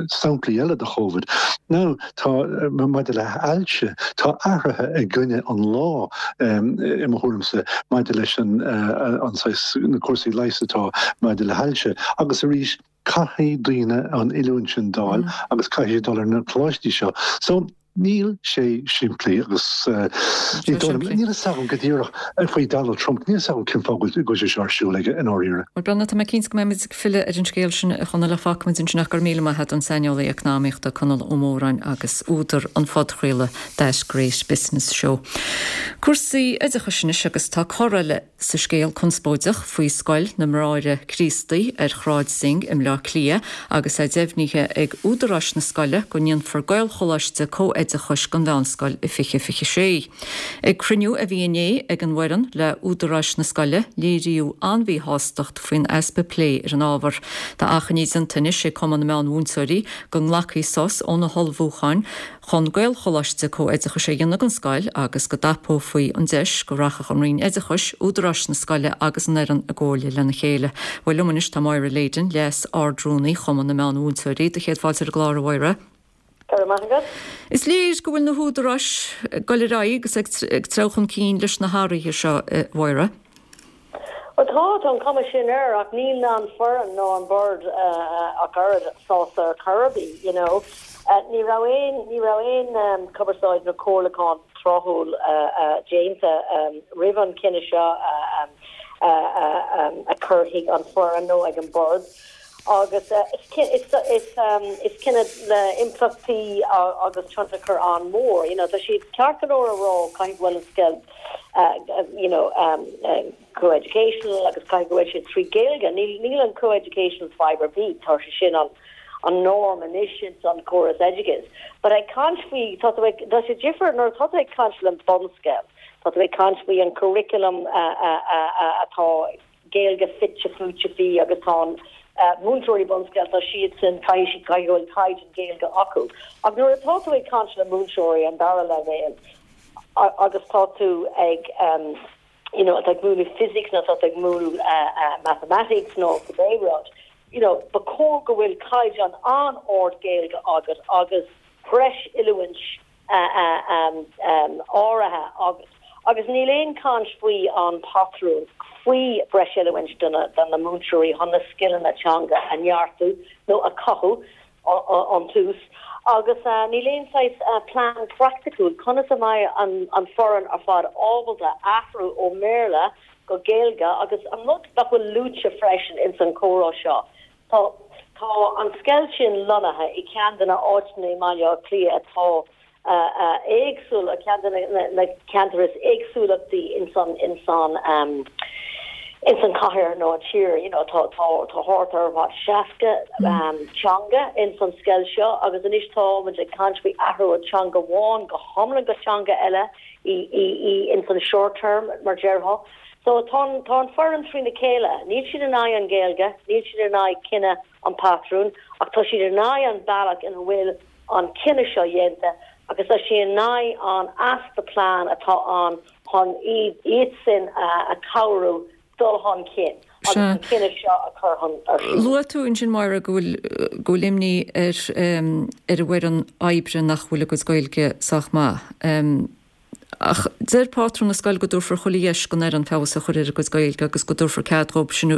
samplaí eile de Covid. Now tá maidir le hailse, tá athruithe i gcoinne an lá i mo thuairimse maidir leis an an saghas na cúrsaí leighis atá maidir le hailse agus arís caithfidh daoine an oiliúint sin d'fháil agus caithfidh siad dul ar na coláistí seo. So níl sé simplí agus níl a fhios agam go díreach faoi Donald Trump, níl a fhios agam cén fáth go bhfuil sé seo ar siúl aige i ndáiríre. Bhuel, Breandán, tá mé cinnte go mbeimid ag filleadh ar an scéal sin, a Chonaill, ach fágfaimid ansin ach go raibh míle maith agat an saineolaí eacnamaíochta Conall Ó Móráin agus údar an phodchraoladh That Great Business Show. Cúrsaí oideachais anois agus tá cor eile sa scéal conspóideach faoi Scoil na mBráithre Críostaí ar Shráid Synge i mBleá Cliath agus é deimhnithe ag údaráis na scoile go ndéanfar Gaelcholáiste comh-oideachais den mheánscoil i fiche fiche sé. Ag cruinniú a bhí inné ag an bhfoireann le údaráis na scoile, léiríodh an-mhíshástacht faoin easpa plé ar an ábhar. Tá achainí déanta anois ag Cumann na Meán-Mhúinteoirí go nglacfaí sos ó na hullmhúcháin chun Gaelcholáiste comh-oideachais a dhéanamh den scoil agus go dtapófaí an deis go rachadh an Roinn Oideachais, údaráis na scoile agus an fhoireann i gcomhairle lena chéile. Bhuel, liom anois tá Máire Leyden, Leas-Ard-Rúnaí Chumann na Meán-Mhúinteoirí. Do chéad fáilte ar an gclár, a Mháire. Go raibh maith agat. Is léir go bhfuil na húdaráis ag dul ar aghaidh agus ag treabhadh chun cinn leis na hathruithe seo, a Mháire. Bhuel tá, tá an chuma sin air ach níl an foireann nó an bord ach oiread sásta ar chor ar bith, you know. Ní raibh aon, ní raibh aon cumarsáid nó comhairliúchán tráthúil déanta roimh an cinneadh seo a chur chuig an foireann nó ag an bord. Agus is cinneadh le impleachtaí agus tionchar an-mhór. You know, tá siad ceart go leor a rá caithfidh go bhfuil an scoil you know, co-educational agus caithfidh go bhfuil sé trí Gaeilge. Níl níl an co-educational fadhb ar bith, tá sé sin an an norm anois ins an córas oideachais. But ag caint faoi tá tú ag tá sé difear nuair atá tú ag caint le bunscoil, tá tú ag caint faoi an curriculum atá Gaeilge fite fuaite faoi agus tá an múinteoirí bunscoile tá siadsan caithfidh siad caithfidh go bhfuil caighdeán Gaeilge acu. Ach nuair atá tú ag caint le múinteoirí an dara leibhéal agus tá tú ag um, you know, ag múineadh physics nó tá tú ag múineadh uh, uh, mathematics nó cibé rud, you know, ba chóir go bhfuil caighdeán an-ard Gaeilge agat agus breis oiliúint áirithe agat. Agus níl aon chaint faoi an patrún faoi breis oiliúint do na múinteoirí chun na scileanna teanga a neartú nó a chothú ón tús. Agus níl aon saghas plean praiticiúil conas a mbeidh an foireann ar fad ábalta athrú ó mBéarla go Gaeilge agus an rud nach bhfuil luaite freisin ins an chomhrá seo. Tá tá an scoil sin lonnaithe i ceann de na áiteanna i mBaile Átha Cliath atá éagsúil a ceann de na ceantair is éagsúlachtaí ins an ins an um, ins an cathair nó an tír you know, tá tá tá thart ar what seasca um, teanga ins an scoil seo agus anois tá muid ag caint faoi athrú ó teanga amháin go hiomlán go teanga eile i, i, i ins an short term mar déarfá. So tá tá an foireann trína chéile, níl siad in aghaidh an Gaeilge, níl siad in aghaidh cinneadh an patrún, ach tá siad in aghaidh an bealach ina bhfuil an cinneadh seo dhéanta agus tá siad in aghaidh an easpa plean atá ann chun iad iad sin a, a cabhrú dul chun cinn agus an cinneadh seo a chur chun ar siúl. Luaigh tú ansin Máire go bhfuil go bhfuil imní ar um, ar an bhfoireann oibre nach bhfuil a gcuid Gaeilge sách maith. Um, ach deir pátrún na scoile go dtabharfar chuile dheis don fhoireann feabhas a chur ar a gcuid Gaeilge agus go dtabharfar cead dóibh sin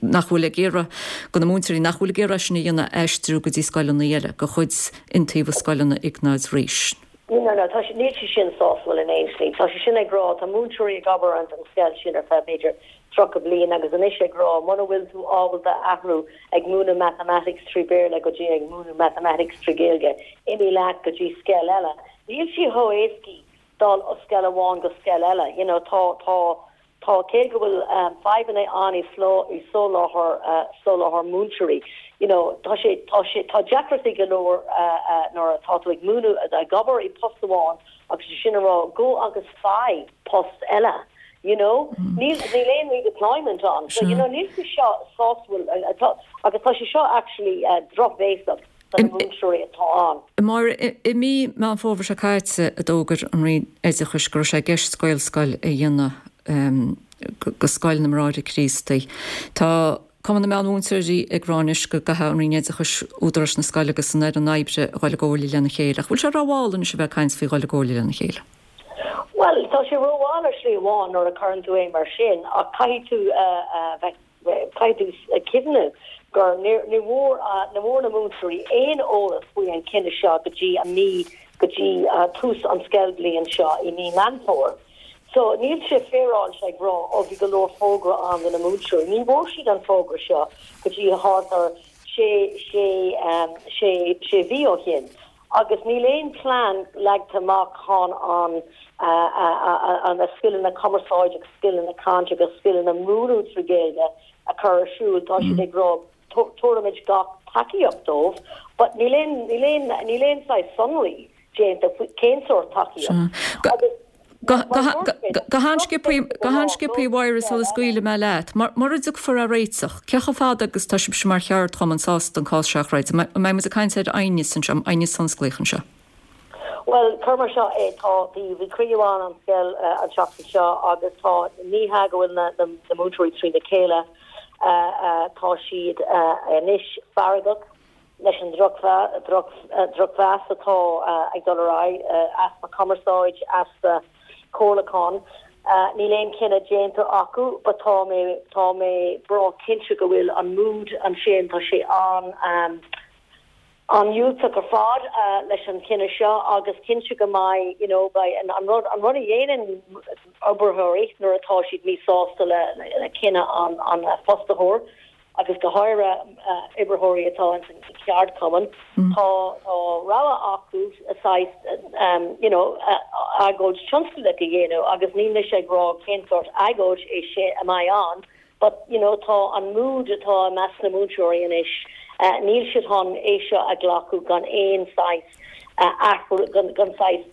nach bhfuil ag iarraidh go na múinteoirí nach bhfuil ag iarraidh sin a dhéanamh aistriú go dtí scoileanna eile de chuid Iontaobhas Scoileanna Iognáid Rís. No, no, tá sé níl sé sin sásúil in aon slí. Tá sé sin ag rá tá múinteoirí ag obair an an scoil sin ar feadh b'fhéidir tríocha bliain agus anois ag rá muna bhfuil tú ábalta athrú ag múineadh mathematics trí Béarla go dtí ag múineadh mathematics trí Gaeilge, imigh leat go dtí scoil eile. Níl sé chomh héasca dul ó scoil amháin go scoil eile. You know, tá tá tá cé go bhfuil um, fadhbanna ann i sló i soláthar uh, soláthar múinteoirí. You know, tá sé tá sé tá deacrachtaí go leor uh, uh, nuair atá tú ag múineadh ag obair i post amháin agus sin a rá go agus faigh post eile. You know, níl níl aon redeployment ann. So you know, níl sé seo sásúil agus tá sé seo actually uh, drochbhéasach do na múinteoirí atá ann. Mar i mí Meán Fómhair seo caite a d'fhógair an Roinn Oideachais go raibh sé i gceist Gaelscoil a dhéanamh um, go Scoil na mBráithre Críostaí. Tá Cumann na Meánmhúinteoirí ag rá anois go gcaithfidh an Roinn Oideachais údaráis na scoile agus an fhoireann oibre a dhul i gcomhairle lena chéile. Ach bhfuil sé rómhall anois a bheith ag caint faoi dhul i gcomhairle lena chéile? Well, tá sé rómhall ar shlí amháin nuair a chuireann tú é mar sin ach caithfidh tú uh, uh, caithfidh tú cuimhneamh gur ní bhfuair ní bhfuair na múinteoirí aon eolas faoi an cinneadh seo go dtí an mí go dtí uh, tús an scoilbhliain seo i mí Meán Fómhair. So níl sé féaráilte ag rá ó bhí go leor fógra ann do na múinteoirí. Ní bhfuair siad an fógra seo go dtí thart ar sé sé um, sé sé mhí ó shin. Agus níl aon plean leagtha amach chun an uh, uh, an na scileanna cumarsáide agus scileanna cainte agus scileanna múineadh trí Gaeilge a chur ar siúl tá siad ag rá tabharfaimid gach tacaíocht dóibh, but níl aon níl aon níl aon saghas sonraí déanta cén sórt tacaíocht. Agus Go han-sciobtha Mháire sula scaoilfidh mé leat, mura dtiocfar ar réiteach, cé chomh fada agus tá sibhse mar cheardchumann sásta an cás seo a throid, an mbeidh muid ag caint ar aighneas anseo, aighneas tionsclaíoch anseo. Well, cuir seo é tá bhí bhí cruinniú ann an scoil uh, an seachtain seo agus tá ní hé go bhfuil na, na, na múinteoirí trína chéile uh, uh, tá siad uh, anois feargach leis an drochmheas atá ag dul ar aghaidh, easpa cumarsáid, easpa comhairliúchán. Níl aon chinneadh déanta acu but tá mé tá mé breá cinnte go bhfuil an mood ansin, tá sé an an-diúltach ar fad leis an chinneadh seo agus cinnte go mbeidh you know beidh an rud an rud a dhéanann oibritheoirí nuair atá siad míshásta le le cinneadh an an fostaitheoir agus go háirithe oibritheoirí atá ins an cheardchumann tá tá rogha acu saghas you know agóid tionsclaíoch a dhéanamh agus níl mise ag rá cén sórt agóid é sin a mbeidh ann but you know tá an mood atá i measc na múinteoirí anois níl siad chun é seo a ghlacadh gan aon saghas athrú gan gan saghas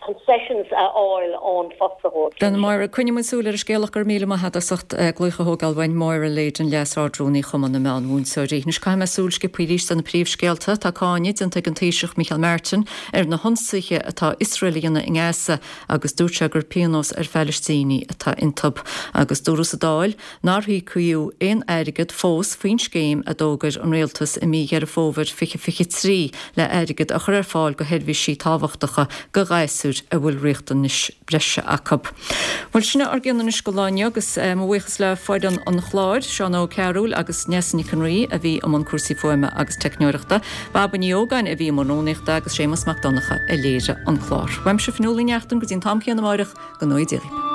concessions a fháil ón fostaitheoir. Then Máire, coinneoidh muid súil ar an scéal ach go raibh míle maith agat as ucht glaoch a thógáil uainn, Máire Leyden, Leas-Ard-Rúnaí Chumann na Meán-Mhúinteoirí. Anois caithfidh mé súil sciobtha arís ar na príomhscéalta. Tá cáineadh déanta ag an Taoiseach Micheál Martin ar na hionsaithe atá Iosrael a dhéanamh i nGaza agus dúirt sé gur pionós ar Phalaistínigh atá iontu. Agus dúradh sa Dáil nár híocadh aon airgead fós faoin scéim a d'fhógair an rialtas i mí Dheireadh Fómhair fiche fiche trí le airgead a chur ar fáil go sheirbhísí tábhachtacha go ghasúir a bhfuil riachtanais breise acu. Bhuel sin ár gcion anois go lá inniu agus mo bhuíochas le foireann an chláir, Seán Óg Cearúil agus Neasa Nic an Rí a bhí i mbun cúrsaí fuaime agus teicneoireachta, Baba Ní Ógáin a bhí i mbun rúnaíochta agus Séamus Mac Donncha a léirigh an clár. Uaimse Fionnuala Ní Neachtain go dtí an t-am céanna amárach go ngnóthaí Dia dhaoibh.